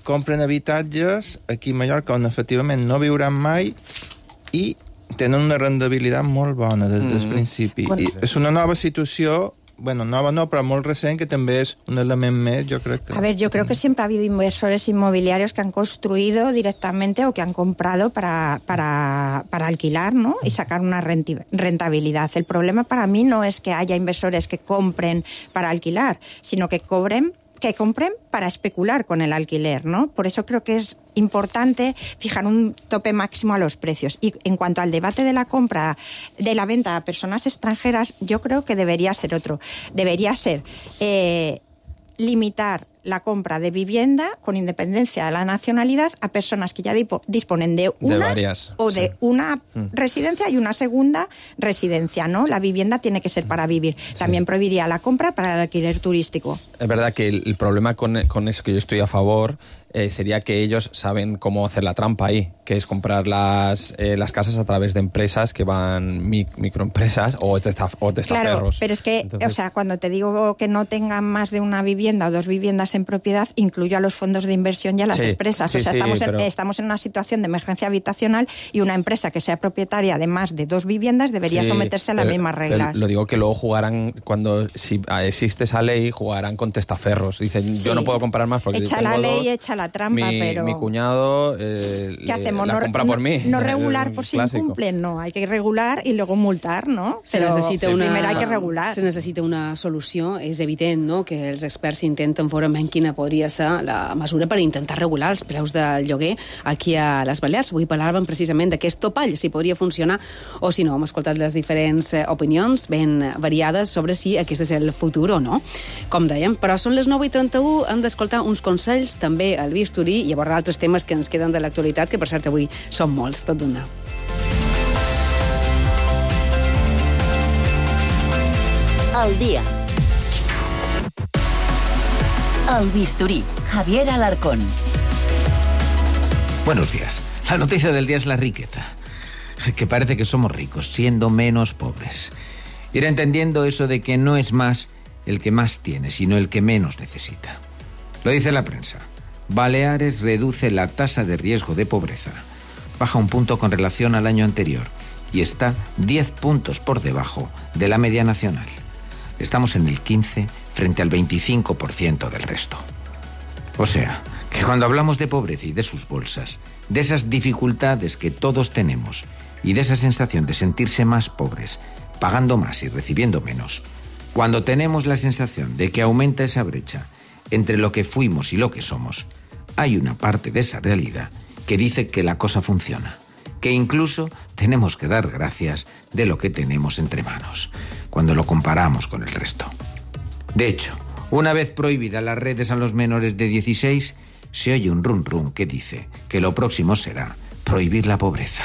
compren habitatges aquí a Mallorca on efectivament no viuran mai i tenen una rendibilitat molt bona des del mm. principi. Bueno, I és una nova situació, bueno, nova no, pero muy recién, que también es un elemento más, yo creo que... A ver, yo creo que siempre ha habido inversores inmobiliarios que han construido directamente o que han comprado para, para, para alquilar, ¿no? Y sacar una rentabilidad. El problema para mí no es que haya inversores que compren para alquilar, sino que cobren que compren para especular con el alquiler, ¿no? Por eso creo que es importante fijar un tope máximo a los precios. Y en cuanto al debate de la compra, de la venta a personas extranjeras, yo creo que debería ser otro. Debería ser eh, limitar la compra de vivienda con independencia de la nacionalidad a personas que ya disponen de una de varias, o de sí. una mm. residencia y una segunda residencia, ¿no? La vivienda tiene que ser para vivir. También sí. prohibiría la compra para el alquiler turístico. Es verdad que el, el problema con, con eso, que yo estoy a favor, eh, sería que ellos saben cómo hacer la trampa ahí, que es comprar las, eh, las casas a través de empresas que van mi, microempresas o, testaf, o testaferros. Claro, pero es que, Entonces... o sea, cuando te digo que no tengan más de una vivienda o dos viviendas en propiedad, incluyo a los fondos de inversión y a las sí, empresas. Sí, o sea, sí, estamos, pero... en, estamos en una situación de emergencia habitacional y una empresa que sea propietaria de más de dos viviendas debería sí, someterse a las mismas reglas. Lo digo que luego jugarán, cuando si existe esa ley, jugarán con testaferros. Dicen, sí. yo no puedo comprar más porque echa la ley, dos, echa la trampa, mi, pero... Mi cuñado eh, ¿qué hacemos? la no, compra no, por mí. No regular por si incumplen, no. Hay que regular y luego multar, no? Se però necessita una... primer hay que regular. Se necessita una solució. És evident, no?, que els experts intenten veure quina podria ser la mesura per intentar regular els preus del lloguer aquí a les Balears. Avui parlàvem precisament d'aquest topall, si podria funcionar o si no. Hem escoltat les diferents opinions ben variades sobre si aquest és el futur o no, com dèiem. Però són les nou i trenta-u, hem d'escoltar uns consells, també al bisturí, i abordar altres temes que ens queden de l'actualitat, que per cert avui són molts, tot d'una. El dia. El bisturí. Javier Alarcón. Buenos días. La noticia del día es la riqueza. Que parece que somos ricos, siendo menos pobres. Ir entendiendo eso de que no es más el que más tiene, sino el que menos necesita. Lo dice la prensa. Baleares reduce la tasa de riesgo de pobreza. Baja un punto con relación al año anterior y está diez puntos por debajo de la media nacional. Estamos en el quince frente al veinticinco por ciento del resto. O sea, que cuando hablamos de pobreza y de sus bolsas, de esas dificultades que todos tenemos y de esa sensación de sentirse más pobres, pagando más y recibiendo menos, cuando tenemos la sensación de que aumenta esa brecha entre lo que fuimos y lo que somos, hay una parte de esa realidad que dice que la cosa funciona, que incluso tenemos que dar gracias de lo que tenemos entre manos, cuando lo comparamos con el resto. De hecho, una vez prohibidas las redes a los menores de dieciséis, se oye un rum rum que dice que lo próximo será prohibir la pobreza.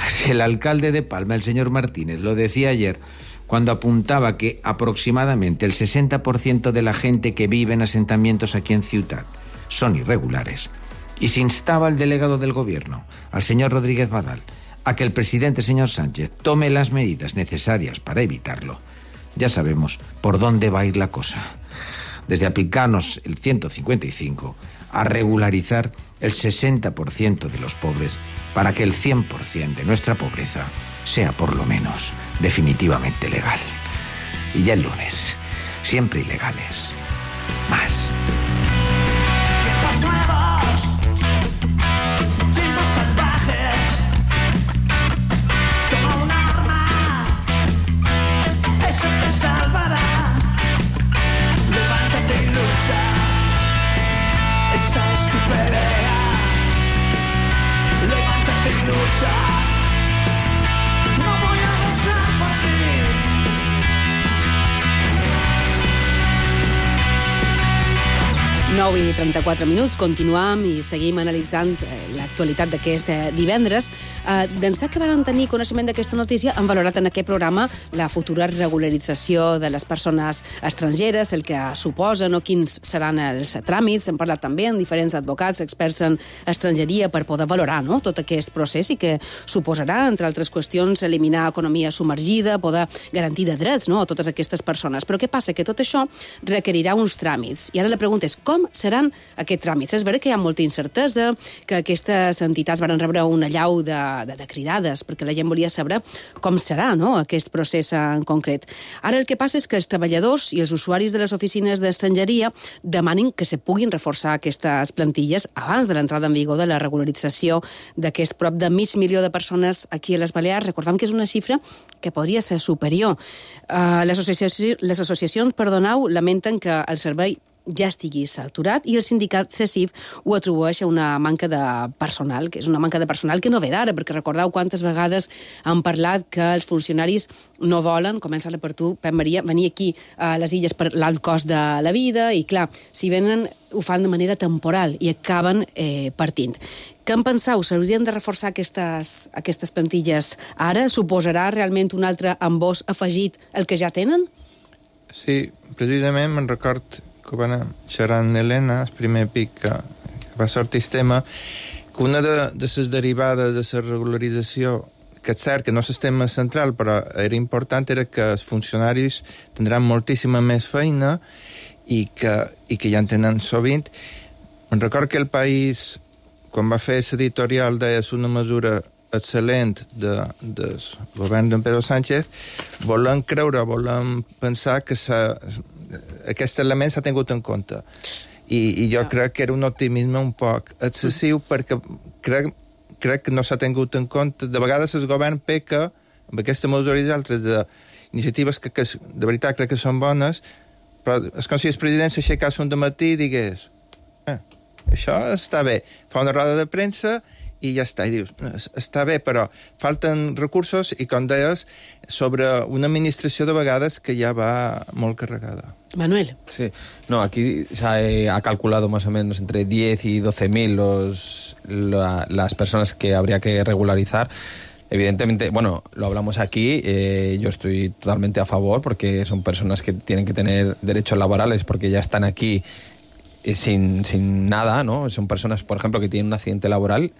Si el alcalde de Palma, el señor Martínez, lo decía ayer, cuando apuntaba que aproximadamente el sesenta por ciento de la gente que vive en asentamientos aquí en Ciutat son irregulares, y se instaba al delegado del gobierno, al señor Rodríguez Badal, a que el presidente, señor Sánchez, tome las medidas necesarias para evitarlo, ya sabemos por dónde va a ir la cosa. Desde aplicarnos el ciento cincuenta y cinco a regularizar el sesenta por ciento de los pobres para que el cien por ciento de nuestra pobreza sea por lo menos definitivamente legal. Y ya el lunes, siempre ilegales, más. nou i trenta-quatre minuts, continuam i seguim analitzant l'actualitat d'aquest divendres. D'ençà que van tenir coneixement d'aquesta notícia, han valorat en aquest programa la futura regularització de les persones estrangeres, el que suposen o quins seran els tràmits. Hem parlat també amb diferents advocats, experts en estrangeria, per poder valorar no? tot aquest procés i que suposarà, entre altres qüestions, eliminar economia submergida, poder garantir de drets no? a totes aquestes persones. Però què passa? Que tot això requerirà uns tràmits. I ara la pregunta és com seran aquests tràmits? És veritat que hi ha molta incertesa, que aquestes entitats van rebre una llau de, de, de cridades, perquè la gent volia saber com serà no? aquest procés en concret. Ara el que passa és que els treballadors i els usuaris de les oficines d'estrangeria demanen que se puguin reforçar aquestes plantilles abans de l'entrada en vigor de la regularització d'aquest prop de mig milió de persones aquí a les Balears. Recordem que és una xifra que podria ser superior. Uh, les, associacions, les associacions, perdoneu, lamenten que el servei ja estigui saturat i el sindicat C E S I F ho atribueix a una manca de personal, que és una manca de personal que no ve d'ara, perquè recordeu quantes vegades han parlat que els funcionaris no volen, comença-la per tu, Pep Maria, venir aquí a les illes per l'alt cost de la vida i, clar, si venen ho fan de manera temporal i acaben eh, partint. Què en penseu? S'haurien de reforçar aquestes, aquestes plantilles ara? Suposarà realment un altre embòs afegit al que ja tenen? Sí, precisament me'n record que van xerrar amb Helena, el primer pic que, que va sortir el tema, que una de, de les derivades de la regularització, que és cert que no és el tema central, però era important, era que els funcionaris tindran moltíssima més feina i que, i que ja en tenen sovint. Me'n record que el País, quan va fer l'editorial, deia una mesura excel·lent de, del govern d'en Pedro Sánchez, volem creure, volem pensar que s'ha, aquest element s'ha tingut en compte. I, i jo crec que era un optimisme un poc excessiu, perquè crec, crec que no s'ha tingut en compte. De vegades el govern peca amb aquesta mesura i altres d'iniciatives que, que de veritat crec que són bones, però és com si el president s'aixecés un dematí i digués eh, això està bé, fa una roda de premsa i ja està, i dius, està bé, però falten recursos i, com deies, sobre una administració de vegades que ja va molt carregada. Manuel. Sí, no, aquí se ha, ha calculado más o menos entre diez y doce mil los, la, las personas que habría que regularizar. Evidentemente, bueno, lo hablamos aquí, eh, yo estoy totalmente a favor porque son personas que tienen que tener derechos laborales porque ya están aquí eh, sin, sin nada, ¿no? Son personas, por ejemplo, que tienen un accidente laboral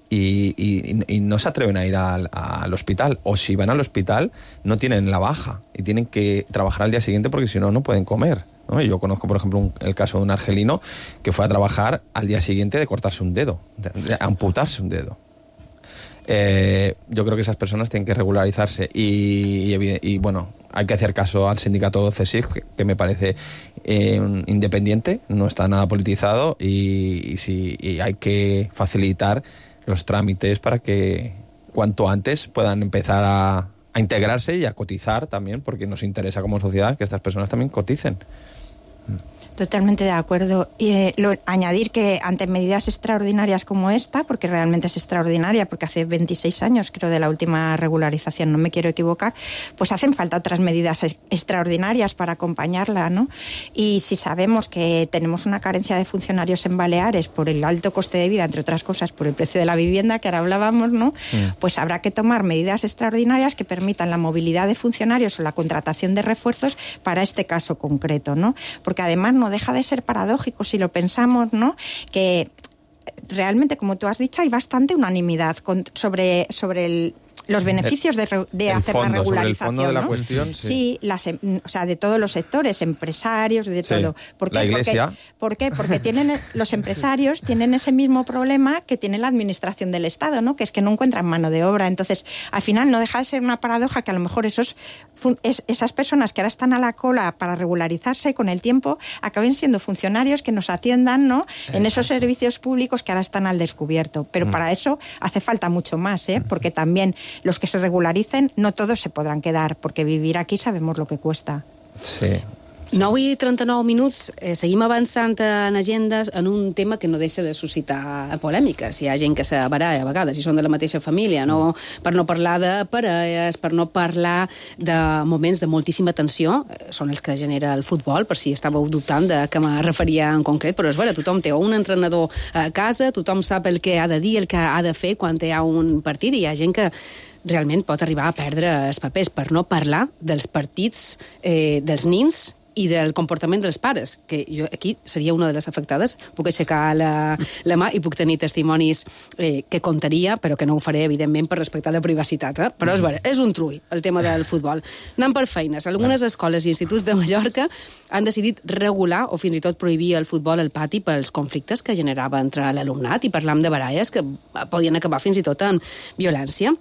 Y, y, y no se atreven a ir al, al hospital, o si van al hospital no tienen la baja y tienen que trabajar al día siguiente porque si no, no pueden comer, ¿no? Yo conozco, por ejemplo, un, el caso de un argelino que fue a trabajar al día siguiente de cortarse un dedo, de, de amputarse un dedo. Eh, yo creo que esas personas tienen que regularizarse y, y, y bueno, hay que hacer caso al sindicato C E S I F, que, que me parece eh, independiente, no está nada politizado y, y, sí, y hay que facilitar los trámites para que cuanto antes puedan empezar a, a integrarse y a cotizar también, porque nos interesa como sociedad que estas personas también coticen. Totalmente de acuerdo. Y eh, lo, añadir que ante medidas extraordinarias como esta, porque realmente es extraordinaria, porque hace veintiséis años creo de la última regularización, no me quiero equivocar, pues hacen falta otras medidas ex- extraordinarias para acompañarla, ¿no? Y si sabemos que tenemos una carencia de funcionarios en Baleares por el alto coste de vida, entre otras cosas por el precio de la vivienda que ahora hablábamos, ¿no? Mm. Pues habrá que tomar medidas extraordinarias que permitan la movilidad de funcionarios o la contratación de refuerzos para este caso concreto, ¿no? Porque además no deja de ser paradójico si lo pensamos, ¿no? Que realmente, como tú has dicho, hay bastante unanimidad con, sobre, sobre el, los beneficios de, de hacer fondo, la regularización, sobre el fondo de la ¿no? cuestión, sí. Sí, las, o sea, de todos los sectores, empresarios, de sí. todo. ¿Por qué? La Iglesia. ¿Por qué? Porque tienen, los empresarios tienen ese mismo problema que tiene la administración del Estado, ¿no? Que es que no encuentran mano de obra. Entonces, al final no deja de ser una paradoja que a lo mejor esos, es, esas personas que ahora están a la cola para regularizarse con el tiempo acaben siendo funcionarios que nos atiendan, ¿no? En esos servicios públicos que ahora están al descubierto. Pero mm. para eso hace falta mucho más, ¿eh? Porque también los que se regularicen, no todos se podrán quedar, porque vivir aquí sabemos lo que cuesta. Sí. nou i trenta-nou minuts, eh, seguim avançant en agendes en un tema que no deixa de suscitar polèmiques. Hi ha gent que se baralla a vegades, i són de la mateixa família, no? Per no parlar de parelles, per no parlar de moments de moltíssima tensió, eh, són els que genera el futbol, per si estàveu dubtant de què me referia en concret, però és vera, tothom té un entrenador a casa, tothom sap el que ha de dir, el que ha de fer quan hi ha un partit, i hi ha gent que realment pot arribar a perdre els papers, per no parlar dels partits eh, dels nins i del comportament dels pares, que jo aquí seria una de les afectades. Puc aixecar la, la mà i puc tenir testimonis eh, que contaria, però que no ho faré, evidentment, per respectar la privacitat. Eh? Però és vera, és un trull, el tema del futbol. Anant per feines. Algunes escoles i instituts de Mallorca han decidit regular o fins i tot prohibir el futbol al pati pels conflictes que generava entre l'alumnat, i parlam de baralles que podien acabar fins i tot en violència.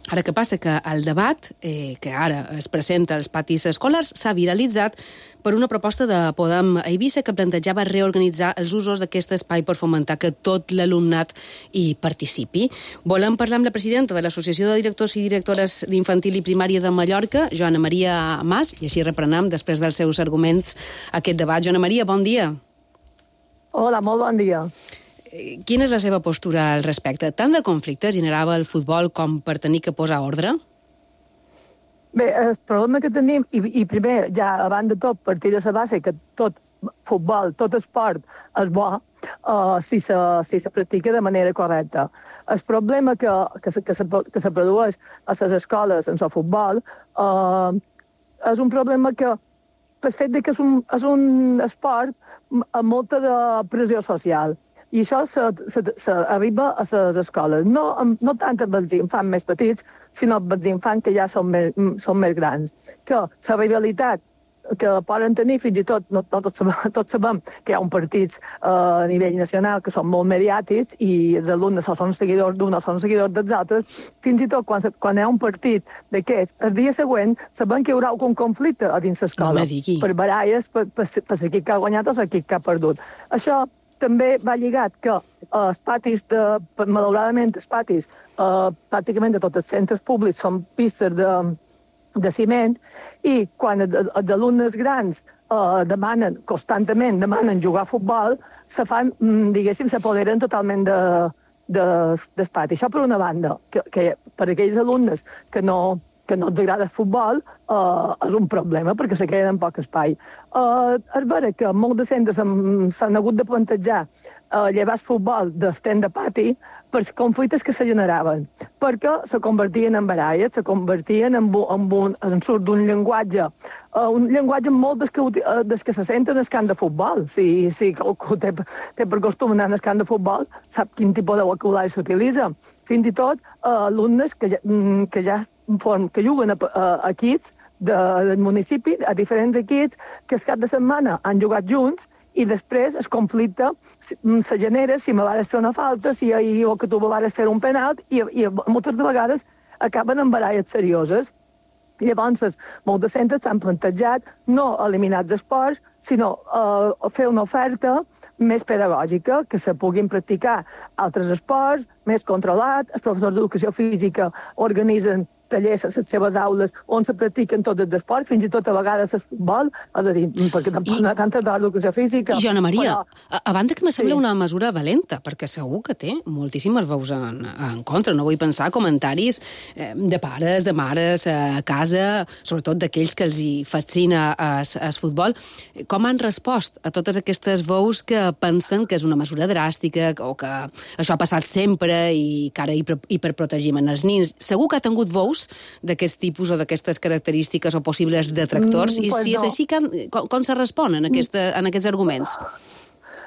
Ara, què passa? Que el debat eh, que ara es presenta als patis escolars s'ha viralitzat per una proposta de Podem Eivissa que plantejava reorganitzar els usos d'aquest espai per fomentar que tot l'alumnat hi participi. Volem parlar amb la presidenta de l'Associació de Directors i Directores d'Infantil i Primària de Mallorca, Joana Maria Mas, i així reprenem, després dels seus arguments, aquest debat. Joana Maria, bon dia. Hola, molt bon dia. Quina és la seva postura al respecte? Tant de conflicte generava el futbol com per tenir que posar ordre? Bé, el problema que tenim, i, i primer, ja abans de tot, partir de la base, que tot futbol, tot esport és bo uh, si, se, si se practica de manera correcta. El problema que, que, se, que, se, que se produeix a les escoles en el futbol uh, és un problema que, pel fet de que és un, és un esport amb molta de pressió social. I això s'arriba a les escoles. No, no tant amb els infants més petits, sinó amb els infants que ja són més, són més grans. Que la rivalitat que poden tenir, fins i tot, no, no tots, sabem, tots sabem que hi ha un partits eh, a nivell nacional que són molt mediàtics i els alumnes o són seguidors d'un o són seguidors dels altres, fins i tot quan, quan hi ha un partit d'aquests, el dia següent sabem que hi haurà algun conflicte a dins l'escola, no per baralles, per, per, per l'equip que ha guanyat o l'equip que ha perdut. Això també va lligat que eh, els patis, de, malauradament els patis, eh, pràcticament de tots els centres públics són pistes de, de ciment, i quan els, els alumnes grans eh, demanen, constantment demanen jugar a futbol, se fan, diguéssim, s'apoderen totalment de, de, del pati. Això per una banda, que, que per aquells alumnes que no que no els agrada el futbol, eh, és un problema, perquè se queden en poc espai. Eh, és vera que molts de centres s'han hagut de plantejar eh, llevar el futbol d'estent de pati per conflictes que se generaven, perquè se convertien en baralles, se convertien en, en, un, en surt d'un llenguatge, eh, un llenguatge molt des que, des que se senten el camp de futbol. Si, si algú té, té per costum anar al camp de futbol, sap quin tipus de vocabulari s'utilitza. Fins i tot eh, alumnes que ja, que ja form, que juguen a, a, a equips de, del municipi, a diferents equips, que el cap de setmana han jugat junts, i després el conflicte se genera si me vas fer una falta, si o que tu me vas fer un penal, i, i moltes vegades acaben en baralles serioses. Llavors, molts de centres s'han plantejat no eliminar els esports, sinó uh, fer una oferta més pedagògica, que se puguin practicar altres esports, més controlat. Els professors d'educació física organitzen tallers a les seves aules on se practiquen tots els esports, fins i tot a vegades el futbol, és a dir, perquè tampoc no hi ha tanta d'educació física. I Joana Maria, però... a, a banda que me sembla sí. una mesura valenta, perquè segur que té moltíssimes veus en, en contra. No vull pensar comentaris eh, de pares, de mares a casa, sobretot d'aquells que els hi fascina el futbol. Com han respost a totes aquestes veus que pensen que és una mesura dràstica o que això ha passat sempre i que ara hiperprotegim en els nins? Segur que ha tingut veus d'aquest tipus o d'aquestes característiques o possibles detractors, mm, i pues si no. És així, com, com se respon en, aquesta, en aquests arguments?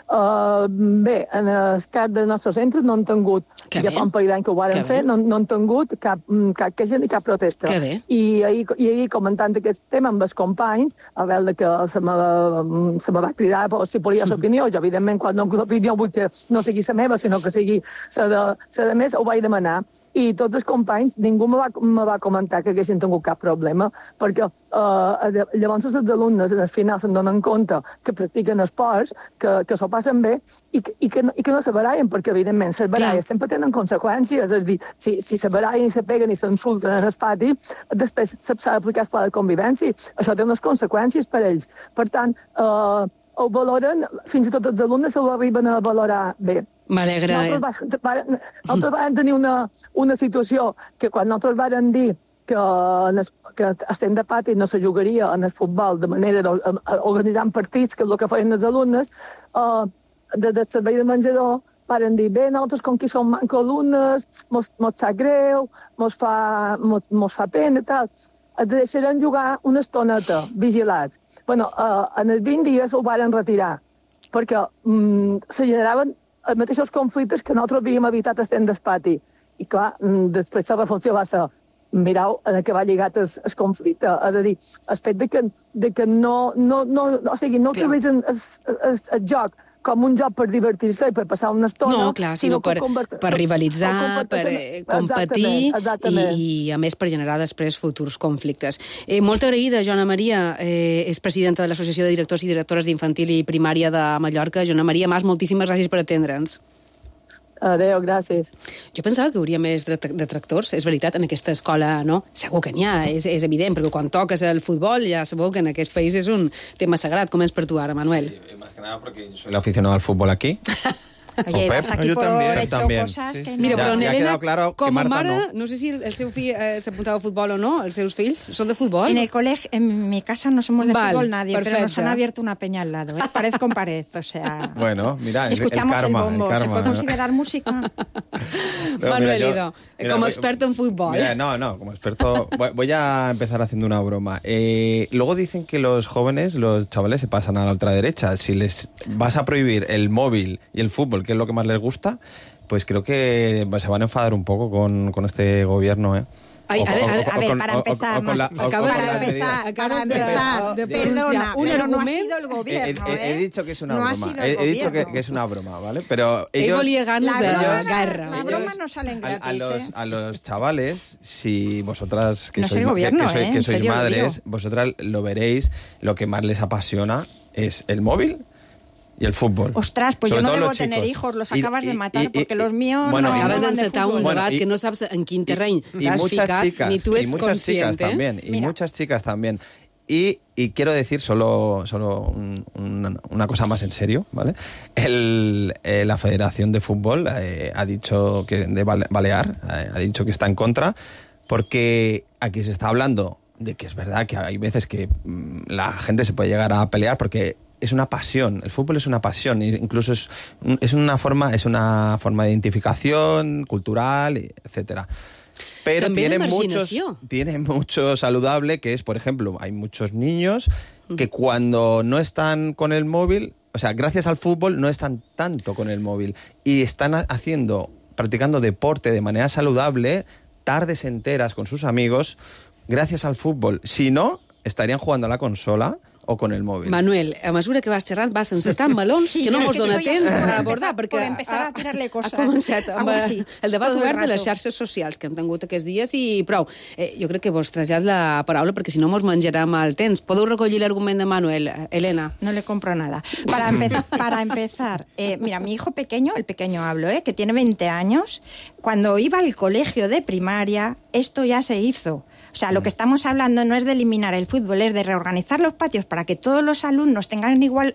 Uh, bé, en el cas dels nostres centres no han tingut, que ja bé. Fa un parell d'anys que ho varen fer, no, no han tingut cap, cap queixa ni cap protesta. I ahir, i ahir comentant aquest tema amb els companys, a veure que se me, se me va cridar si volia l'opinió, jo evidentment quan no l'opinió vull que no sigui la meva, sinó que sigui la de, la de més, ho vaig demanar. i tots els companys, ningú me va, me va comentar que haguessin tingut cap problema, perquè eh, llavors els alumnes al final se'n donen compte que practiquen esports, que, que s'ho passen bé i que, i que, no, i que no se barallen, perquè evidentment les baralles sempre tenen conseqüències, és a dir, si, si se barallen i se peguen i s'insulten en el pati, després s'ha d'aplicar el pla de convivència. Això té unes conseqüències per ells. Per tant, eh, ho valoren, fins i tot els alumnes ho arriben a valorar bé. M'alegra. Nosaltres, va, nosaltres vam tenir una, una situació que quan nosaltres vam dir que, es, que estem de pati no se jugaria en el futbol de manera d'organitzar partits, que és el que feien els alumnes, eh, des del servei de menjador varen dir, bé, nosaltres com que som manco alumnes, mos, mos sap greu, mos fa, mos, mos fa pena i tal. Els deixaran jugar una estoneta, vigilats. Bueno, eh, en els vint dies ho varen retirar, perquè mm, se generaven els mateixos conflictes que nosaltres havíem evitat estem del pati. I clar, després la reflexió va ser, mireu en què va lligat el, el conflicte. És a dir, el fet de que, de que no, no, no, o sigui, no utilitzen el, el, el joc com un joc per divertir-se i per passar una estona. No, clar, sinó per, per rivalitzar, per eh, competir exactament, exactament. I, i, a més, per generar després futurs conflictes. Eh, molt agraïda, Joana Maria, eh, és presidenta de l'Associació de Directors i Directores d'Infantil i Primària de Mallorca. Joana Maria Mas, moltíssimes gràcies per atendre'ns. Adéu, gràcies. Jo pensava que hi hauria més detractors, és veritat, en aquesta escola, no? Segur que n'hi ha, és, és evident, perquè quan toques el futbol ja sabeu que en aquest país és un tema sagrat. Com és per tu ara, Manuel? Sí, más que nada porque yo soy el aficionado al fútbol aquí. Oye, vas aquí por también, hecho también. cosas Sí. que Mira, Ya- però en ya ha Helena, quedado claro que com a Marta mare, no. no sé si el seu fill eh, s'apuntava a futbol o no, els seus fills són de futbol. En el colegio, en mi casa no somos de Vale, fútbol nadie, pero nos perfecto. han abierto una peña al lado, ¿eh? Pared con pared, o sea... Bueno, mira, el, Escuchamos el karma, el bombo, el ¿se karma. puede considerar música? No, Manuel mira, yo- Ido, mira, como voy- experto en fútbol. Mira, no, no, como experto voy, voy a empezar haciendo una broma. Eh, luego dicen que los jóvenes, los chavales se pasan a la ultraderecha. Si les vas a prohibir el móvil y el fútbol, que es lo que más les gusta, pues creo que se van a enfadar un poco con, con este gobierno, ¿eh? Ay, O- a ver, o- a ver, o- A ver, con- para o- o- empezar, o con la- no, o- o acabas con de- la para medida- empezar, acabas para de- empezar, de perdona, pronunciar un pero no ha argument. sido el He, gobierno, he- he ¿eh? dicho que es una No ha broma. sido el He, he dicho que, gobierno. que es una broma, ¿vale? Pero Ell ellos... volia ganes La de broma, guerra. la broma no salen A, gratis, a los, ¿eh? a los chavales, si vosotras que No es sois, el gobierno, que, que sois, ¿eh? que En sois serio lo madres, digo. vosotras lo veréis, lo que más les apasiona es el móvil y el fútbol. Ostras, pues Sobre yo no todo debo los tener chicos. hijos, los Y- acabas de y- matar, y- porque y- los míos bueno, no, y- Acabes no van de d'encetar un fútbol. Bueno, debat y- que no saps en quin terreny y t'has muchas ficat, chicas, ni tu y ets muchas conscient, chicas eh? también, y Mira. muchas chicas también. Y, y quiero decir solo, solo un- una, una cosa más en serio, ¿vale? El, eh, la Federación de Fútbol eh, ha dicho que de Bale- Balear eh, ha dicho que está en contra, porque aquí se está hablando de que es verdad que hay veces que mm, la gente se puede llegar a pelear porque es una pasión, el fútbol es una pasión, e incluso es, un- es una forma, es una forma de identificación cultural, etcétera. Pero També tiene de muchos, marginació. tiene mucho saludable, que es, por ejemplo, hay muchos niños que cuando no están con el móvil, o sea, gracias al fútbol no están tanto con el móvil y están ha- haciendo, practicando deporte de manera saludable, tardes enteras con sus amigos, gracias al fútbol. Si no, estarían jugando a la consola o con el móvil. Manuel, a mesura que vas xerrant, vas encetant melons Sí, que no yo mos es que dona estoy temps así por d'abordar, empezar- perquè por empezar a tirarle cosas. ha començat amb Algo así, el debat todo el obert de les rato. xarxes socials que hem tingut aquests dies i prou. Eh, jo crec que vos trasllat la paraula perquè si no mos menjarem el temps. Podeu recollir l'argument de Manuel, Elena? No le compro nada. Para empezar, para empezar eh, mira, mi hijo pequeño, el pequeño hablo, eh, que tiene veinte años, cuando iba al colegio de primaria, esto ya se hizo. O sea, lo que estamos hablando no es de eliminar el fútbol, es de reorganizar los patios para que todos los alumnos tengan igual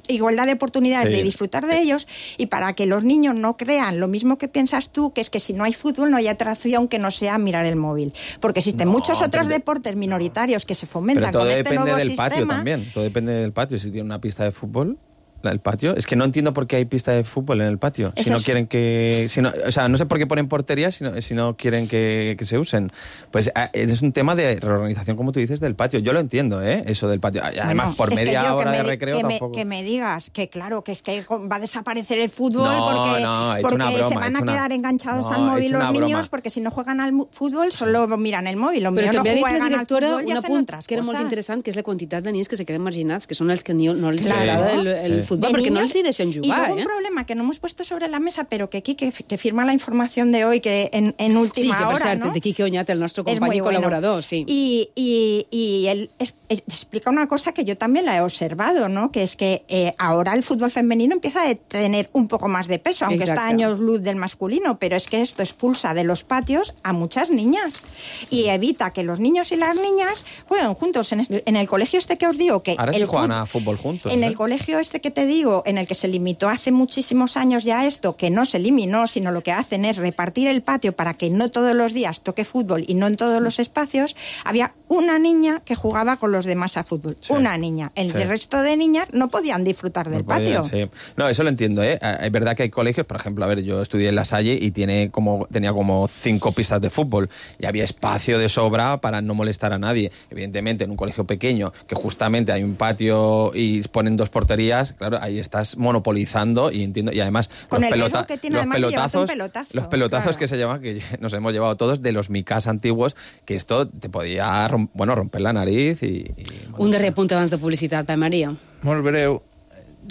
igualdad de oportunidades Sí. de disfrutar de ellos y para que los niños no crean lo mismo que piensas tú, que es que si no hay fútbol no hay otra opción que no sea mirar el móvil. Porque existen No, muchos otros pero- deportes minoritarios que se Pero fomentan todo con este depende nuevo del sistema. patio también. Todo depende del patio. Si tiene una pista de fútbol, la- el patio. Es que no entiendo por qué hay pista de fútbol en el patio. Si Eso no es- quieren que. Si no, o sea, no sé por qué ponen porterías si no, si no quieren que, que se usen. Pues ah, es un tema de reorganización, como tú dices, del patio. Yo lo entiendo, ¿eh? Eso del patio. Y además, Bueno, por es que media yo que hora me de di- recreo que me, tampoco. que me digas que claro, que es que va a desaparecer el fútbol No, porque, no, es porque una broma, se van es a una- quedar enganchados no, al móvil es los una niños broma. porque si no juegan al mu- fútbol solo miran el móvil. Los Però míos no també ha dit la juegan al directora fútbol y un hacen apunt otras que era molt cosas. interessant, que és la quantitat de nens que se queden marginats, que són els que ni, no els Claro. agrada el, el Sí. futbol, de perquè niños, no els hi deixen jugar. Y luego ¿eh? un problema que no hemos puesto sobre la mesa, pero que Quique, que firma la información de hoy, que en, en última sí, que per hora, cert, ¿no? de Quique Oñate, el nostre company i bueno. colaborador, sí. Y, y, y él es, es, explica una cosa que yo también la he observado, ¿no? Que es que eh, ahora el fútbol femenino empieza a tener un poco más de peso, aunque Exacto. está a años luz del masculino, pero es que esto expulsa de los patios a muchas niñas y evita que los niños y las niñas jueguen juntos. En, este, en el colegio este que os digo que... Ahora el sí juegan fut... a fútbol juntos. En ¿eh? el colegio este que te digo, en el que se limitó hace muchísimos años ya esto, que no se eliminó, sino lo que hacen es repartir el patio para que no todos los días toque fútbol y no en todos los espacios, había una niña que jugaba con los demás a fútbol. Sí. Una niña. El sí. resto de niñas no podían disfrutar del no podían, patio. Sí. No, eso lo entiendo, ¿eh? Es verdad que hay colegios, por ejemplo, a ver, yo estudié en La Salle y tiene como, tenía como cinco pistas de fútbol y había espacio de sobra para no molestar a nadie. Evidentemente, en un colegio pequeño, que justamente hay un patio y ponen dos porterías, claro, ahí estás monopolizando y entiendo, y además con los, el pelota, que tiene los pelotazos, un pelotazo, los pelotazos claro. que se llaman, que nos hemos llevado todos de los micas antiguos, que esto te podía rom bueno, romper la nariz i... i bueno, un darrer punt abans de publicitat, Pep Maria. Molt breu.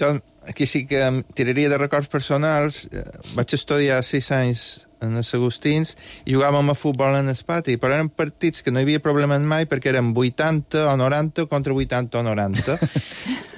Jo aquí sí que em tiraria de records personals. Vaig estudiar sis anys en els Agustins i jugàvem a futbol en el pati, però eren partits que no hi havia problemes mai perquè eren vuitanta o noranta contra vuitanta o noranta.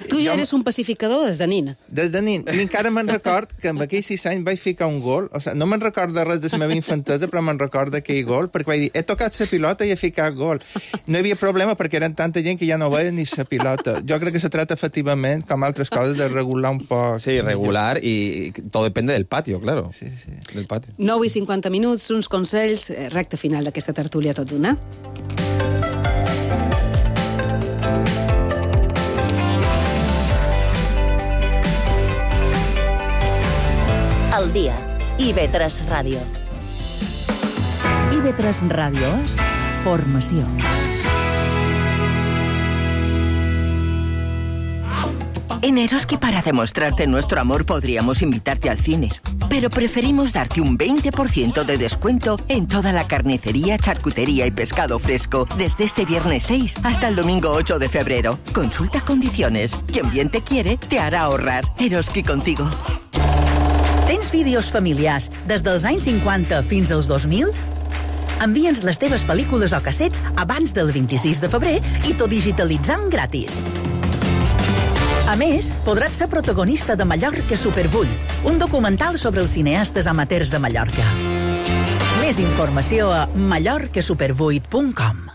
Tu ja eres un pacificador des de nin. Des de nin. I encara me'n record que amb aquells sis anys vaig ficar un gol. O sigui, no me'n record de res de la meva infantesa, però me'n record d'aquell gol, perquè vaig dir, he tocat la pilota i he ficat gol. No hi havia problema perquè eren tanta gent que ja no veia ni la pilota. Jo crec que se trata efectivament, com altres coses, de regular un poc. Sí, regular, i todo depende del patio, claro. Sí, sí. Del patio. nou i cinquanta minuts, uns consells, recte final d'aquesta tertúlia tot d'una. Al dia. I ve tres Ràdio. I ve tres Ràdio és formació. En Eroski, para demostrarte nuestro amor, podríamos invitarte al cine. Pero preferimos darte un veinte por ciento de descuento en toda la carnicería, charcutería y pescado fresco desde este viernes seis hasta el domingo ocho de febrero. Consulta condiciones. Quien bien te quiere, te hará ahorrar. Eroski contigo. Tens vídeos familiars des dels anys cinquanta fins als dos mil? Envia'ns les teves pel·lícules o cassets abans del vint-i-sis de febrer i tot digitalitzant gratis. A més, podràs ser protagonista de Mallorca Super vuit, un documental sobre els cineastes amateurs de Mallorca. Més informació a mallorca super vuit punt com.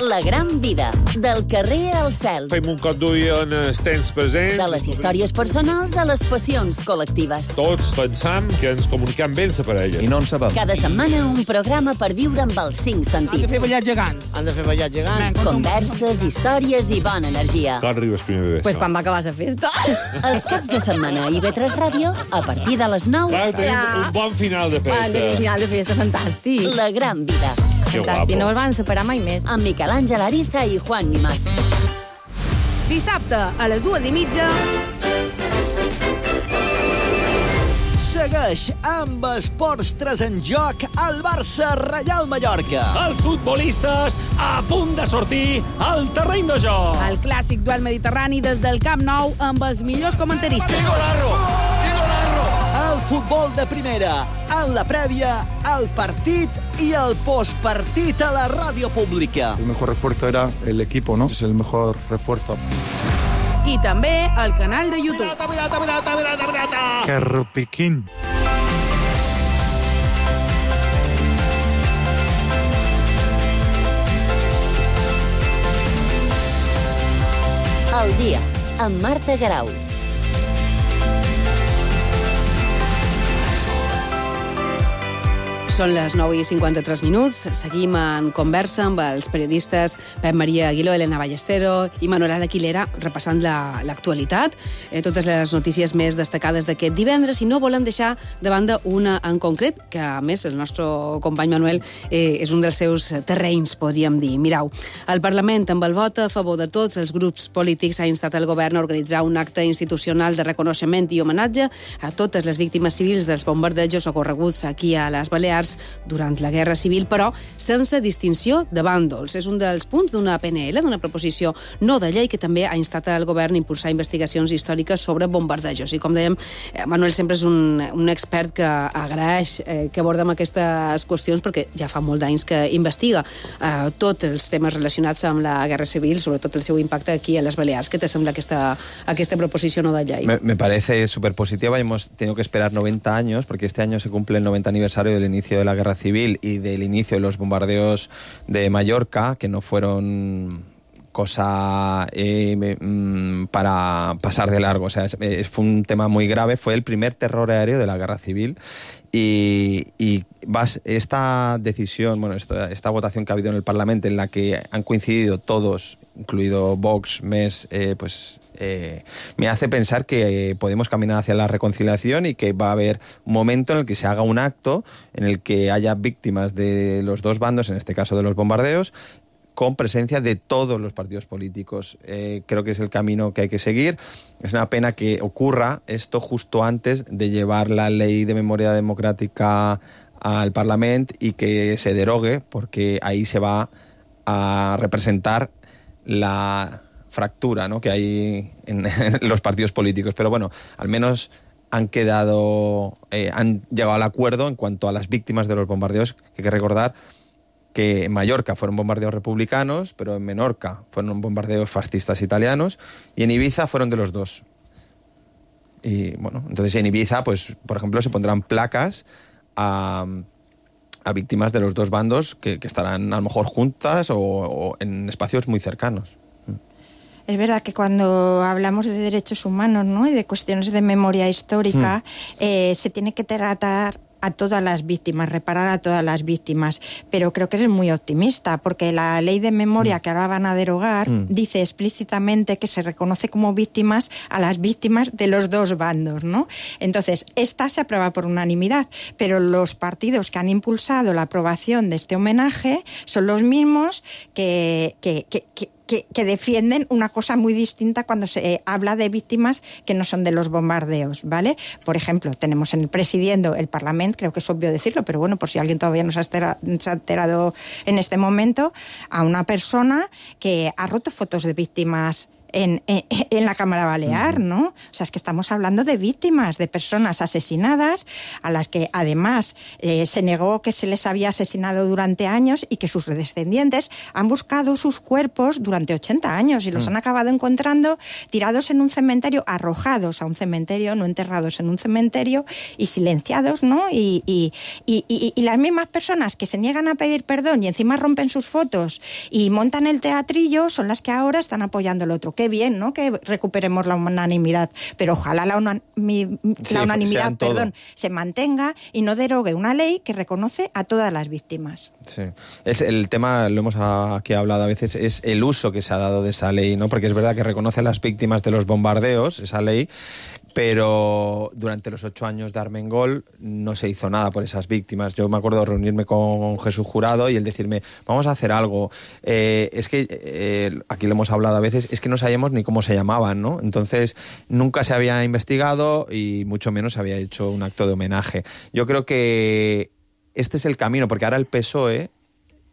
La gran vida, del carrer al cel. Fem un cop d'ull en els temps presents. De les històries personals a les passions col·lectives. Tots pensam que ens comuniquem bé per a elles. I no en sabem. Cada setmana un programa per viure amb els cinc sentits. Han de fer ballar gegants. Han de fer ballar gegants. Converses, històries i bona energia. Clar, arribes primer de Pues quan va acabar la festa. Els caps de setmana a I V tres Ràdio, a partir de les nou. Clar, tenim ja. un bon final de festa. Un final de festa fantàstic. La gran vida. Que guapo. No el van separar mai més. Amb Miquel Àngel Ariza i Juan Nimás. Dissabte, a les dues i mitja... Segueix amb Esports tres en joc al Barça Reial Mallorca. Els futbolistes a punt de sortir al terreny de joc. El clàssic duel mediterrani des del Camp Nou amb els millors comentaristes. El futbol de primera, en la prèvia, el partit i el postpartit a la ràdio pública. El mejor refuerzo era el equipo, ¿no? Es el mejor refuerzo. I també al canal de YouTube. Pirata, pirata, pirata, pirata, pirata. Carropiquín. Al dia, amb Marta Garau. Són les nou i cinquanta-tres minuts. Seguim en conversa amb els periodistes Pep Maria Aguiló, Elena Ballestero i Manuel Aquilera, repassant l'actualitat, la, eh, totes les notícies més destacades d'aquest divendres, i no volem deixar de banda una en concret, que a més el nostre company Manuel eh, és un dels seus terrenys, podríem dir. Mirau, el Parlament, amb el vot a favor de tots els grups polítics, ha instat el govern a organitzar un acte institucional de reconeixement i homenatge a totes les víctimes civils dels bombardejos ocorreguts aquí a les Balears civils durant la Guerra Civil, però sense distinció de bàndols. És un dels punts d'una P N L, d'una proposició no de llei, que també ha instat el govern a impulsar investigacions històriques sobre bombardejos. I com dèiem, Manuel sempre és un, un expert que agraeix eh, que abordem aquestes qüestions, perquè ja fa molt d'anys que investiga eh, tots els temes relacionats amb la Guerra Civil, sobretot el seu impacte aquí a les Balears. Què te sembla aquesta, aquesta proposició no de llei? Me, me parece súper positiva. Hemos tenido que esperar noventa años, porque este año se cumple el noventa aniversario del inicio de la Guerra Civil y del inicio de los bombardeos de Mallorca, que no fueron cosa eh, para pasar de largo. O sea, es, es, fue un tema muy grave. Fue el primer terror aéreo de la Guerra Civil. Y, y vas, esta decisión, bueno, esta, esta votación que ha habido en el Parlamento, en la que han coincidido todos, incluido Vox, M E S, eh, pues eh, me hace pensar que eh, podemos caminar hacia la reconciliación y que va a haber un momento en el que se haga un acto en el que haya víctimas de los dos bandos, en este caso de los bombardeos, con presencia de todos los partidos políticos. Eh, creo que es el camino que hay que seguir. Es una pena que ocurra esto justo antes de llevar la ley de memoria democrática al Parlamento y que se derogue, porque ahí se va a representar la fractura, ¿no?, que hay en, en los partidos políticos. Pero bueno, al menos han quedado, eh, han llegado al acuerdo en cuanto a las víctimas de los bombardeos, que hay que recordar que en Mallorca fueron bombardeos republicanos, pero en Menorca fueron bombardeos fascistas italianos, y en Ibiza fueron de los dos. Y bueno, entonces en Ibiza, pues por ejemplo, se pondrán placas a, a víctimas de los dos bandos que, que estarán a lo mejor juntas o, o en espacios muy cercanos. Es verdad que cuando hablamos de derechos humanos, ¿no?, y de cuestiones de memoria histórica, mm. eh, se tiene que tratar a todas las víctimas, reparar a todas las víctimas, pero creo que eres muy optimista, porque la ley de memoria mm. que ahora van a derogar mm. dice explícitamente que se reconoce como víctimas a las víctimas de los dos bandos, ¿no? Entonces, esta se aprueba por unanimidad, pero los partidos que han impulsado la aprobación de este homenaje son los mismos que, que, que, que Que, que defienden una cosa muy distinta cuando se eh, habla de víctimas que no son de los bombardeos, ¿vale? Por ejemplo, tenemos en el presidiendo el Parlamento, creo que es obvio decirlo, pero bueno, por si alguien todavía no se ha, estera, se ha enterado en este momento, a una persona que ha roto fotos de víctimas En, en, en la Cámara Balear, ¿no? O sea, es que estamos hablando de víctimas, de personas asesinadas, a las que además eh, se negó que se les había asesinado durante años y que sus descendientes han buscado sus cuerpos durante ochenta años y los mm. han acabado encontrando tirados en un cementerio, arrojados a un cementerio, no enterrados en un cementerio, y silenciados, ¿no? Y, y, y, y, y las mismas personas que se niegan a pedir perdón y encima rompen sus fotos y montan el teatrillo son las que ahora están apoyando al otro. Qué bien, ¿no?, que recuperemos la unanimidad, pero ojalá la, una, mi, sí, la unanimidad perdón, se mantenga y no derogue una ley que reconoce a todas las víctimas. Sí. Es el tema, lo hemos aquí hablado a veces, es el uso que se ha dado de esa ley, ¿no? Porque es verdad que reconoce a las víctimas de los bombardeos, esa ley, pero durante los ocho años de Armengol no se hizo nada por esas víctimas. Yo me acuerdo de reunirme con Jesús Jurado y él decirme, vamos a hacer algo. Eh, es que, eh, aquí lo hemos hablado a veces, es que no sabíamos ni cómo se llamaban, ¿no? Entonces, nunca se había investigado y mucho menos se había hecho un acto de homenaje. Yo creo que este es el camino, porque ahora el P S O E,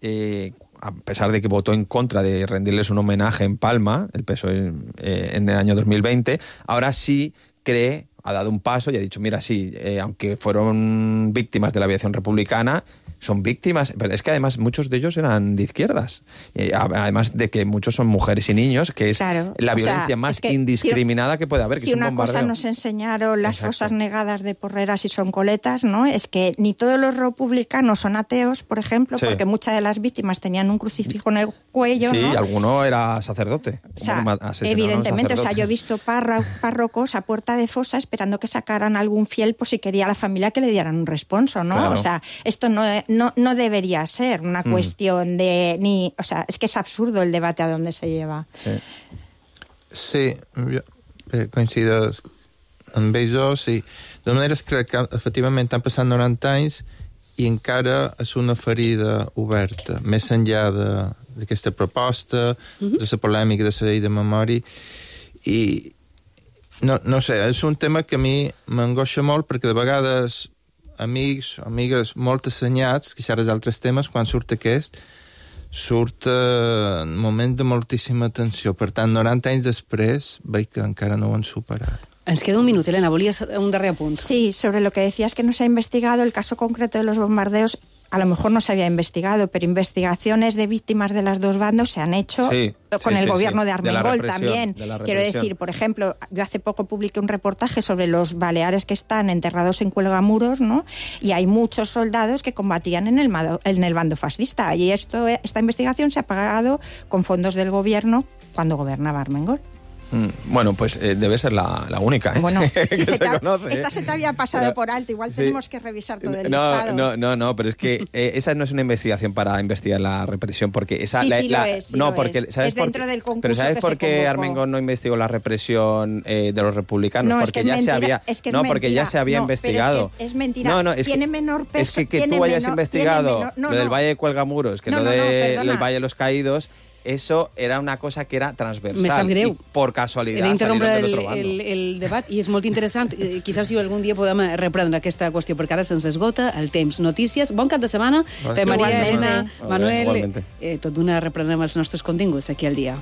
eh, a pesar de que votó en contra de rendirles un homenaje en Palma, el P S O E eh, en el año dos mil veinte, ahora sí cree, ha dado un paso y ha dicho, mira, sí, eh, aunque fueron víctimas de la aviación republicana, son víctimas, pero es que además muchos de ellos eran de izquierdas, eh, además de que muchos son mujeres y niños, que es claro, la violencia sea, más es que indiscriminada si, que puede haber, que si es un una bombardeo. Cosa nos enseñaron las Exacto. fosas negadas de Porreras y Soncoletas, ¿no? Es que ni todos los republicanos son ateos, por ejemplo, sí. porque muchas de las víctimas tenían un crucifijo en el cuello, sí, ¿no? y alguno era sacerdote. O sea, evidentemente, o sea, yo he visto párro, párrocos a puerta de fosa esperando que sacaran algún fiel por si quería la familia que le dieran un responso, ¿no? Claro. O sea, esto no, no, no debería ser una mm. cuestión de... ni, o sea, es que es absurdo el debate a dónde se lleva. Sí, sí jo coincido amb ells, sí. De manera que crec que efectivament han passat noranta anys i encara és una ferida oberta, més enllà d'aquesta proposta, mm-hmm. de la polèmica de la llei de memòria, i no, no sé, és un tema que a mi m'angoixa molt perquè de vegades amics, amigues molt assenyats, que xerres d'altres temes, quan surt aquest, surt eh, en moment de moltíssima tensió. Per tant, noranta anys després, veig que encara no ho han superat. Ens queda un minut, Elena, volies un darrer apunt. Sí, sobre lo que decías que no se ha investigado, el caso concreto de los bombardeos, a lo mejor no se había investigado, pero investigaciones de víctimas de los dos bandos se han hecho sí, con sí, el sí, gobierno sí. de Armengol de también. De Quiero decir, por ejemplo, yo hace poco publiqué un reportaje sobre los baleares que están enterrados en cuelgamuros, ¿no? Y hay muchos soldados que combatían en el, en el bando fascista. Y esto, esta investigación se ha pagado con fondos del gobierno cuando gobernaba Armengol. Mm, bueno, pues eh, debe ser la, la única, ¿eh? Bueno, si se se te ha, conoce, esta ¿eh? se te había pasado pero, por alto. Igual sí. tenemos que revisar todo el no, listado. No, no, no, pero es que eh, esa no es una investigación para investigar la represión, porque esa... Sí, la, sí la, lo es, sí no, lo porque, es. ¿sabes Es por dentro qué? del concurso Pero ¿sabes que por se qué convocó? Armengol no investigó la represión eh, de los republicanos? No, porque es que es ya mentira, se había... es que es no, mentira. porque ya se había no, investigado. Pero es, que es mentira. No, no, es tiene que, menor peso. es que, que tiene tú hayas menor, investigado menor, no, lo del no. Valle de Cuelgamuros, que no, lo no, del no, Valle de los Caídos... Eso era una cosa que era transversal. Me sap greu. I por casualitat He d'interrompre el, el, el, el debat i és molt interessant. Eh, Quizás si algun dia podem reprendre aquesta qüestió, perquè ara se'ns esgota el temps. Notícies. Bon cap de setmana. Per Maria, Elena, Manuel. Eh, tot d'una reprenem els nostres continguts aquí al dia.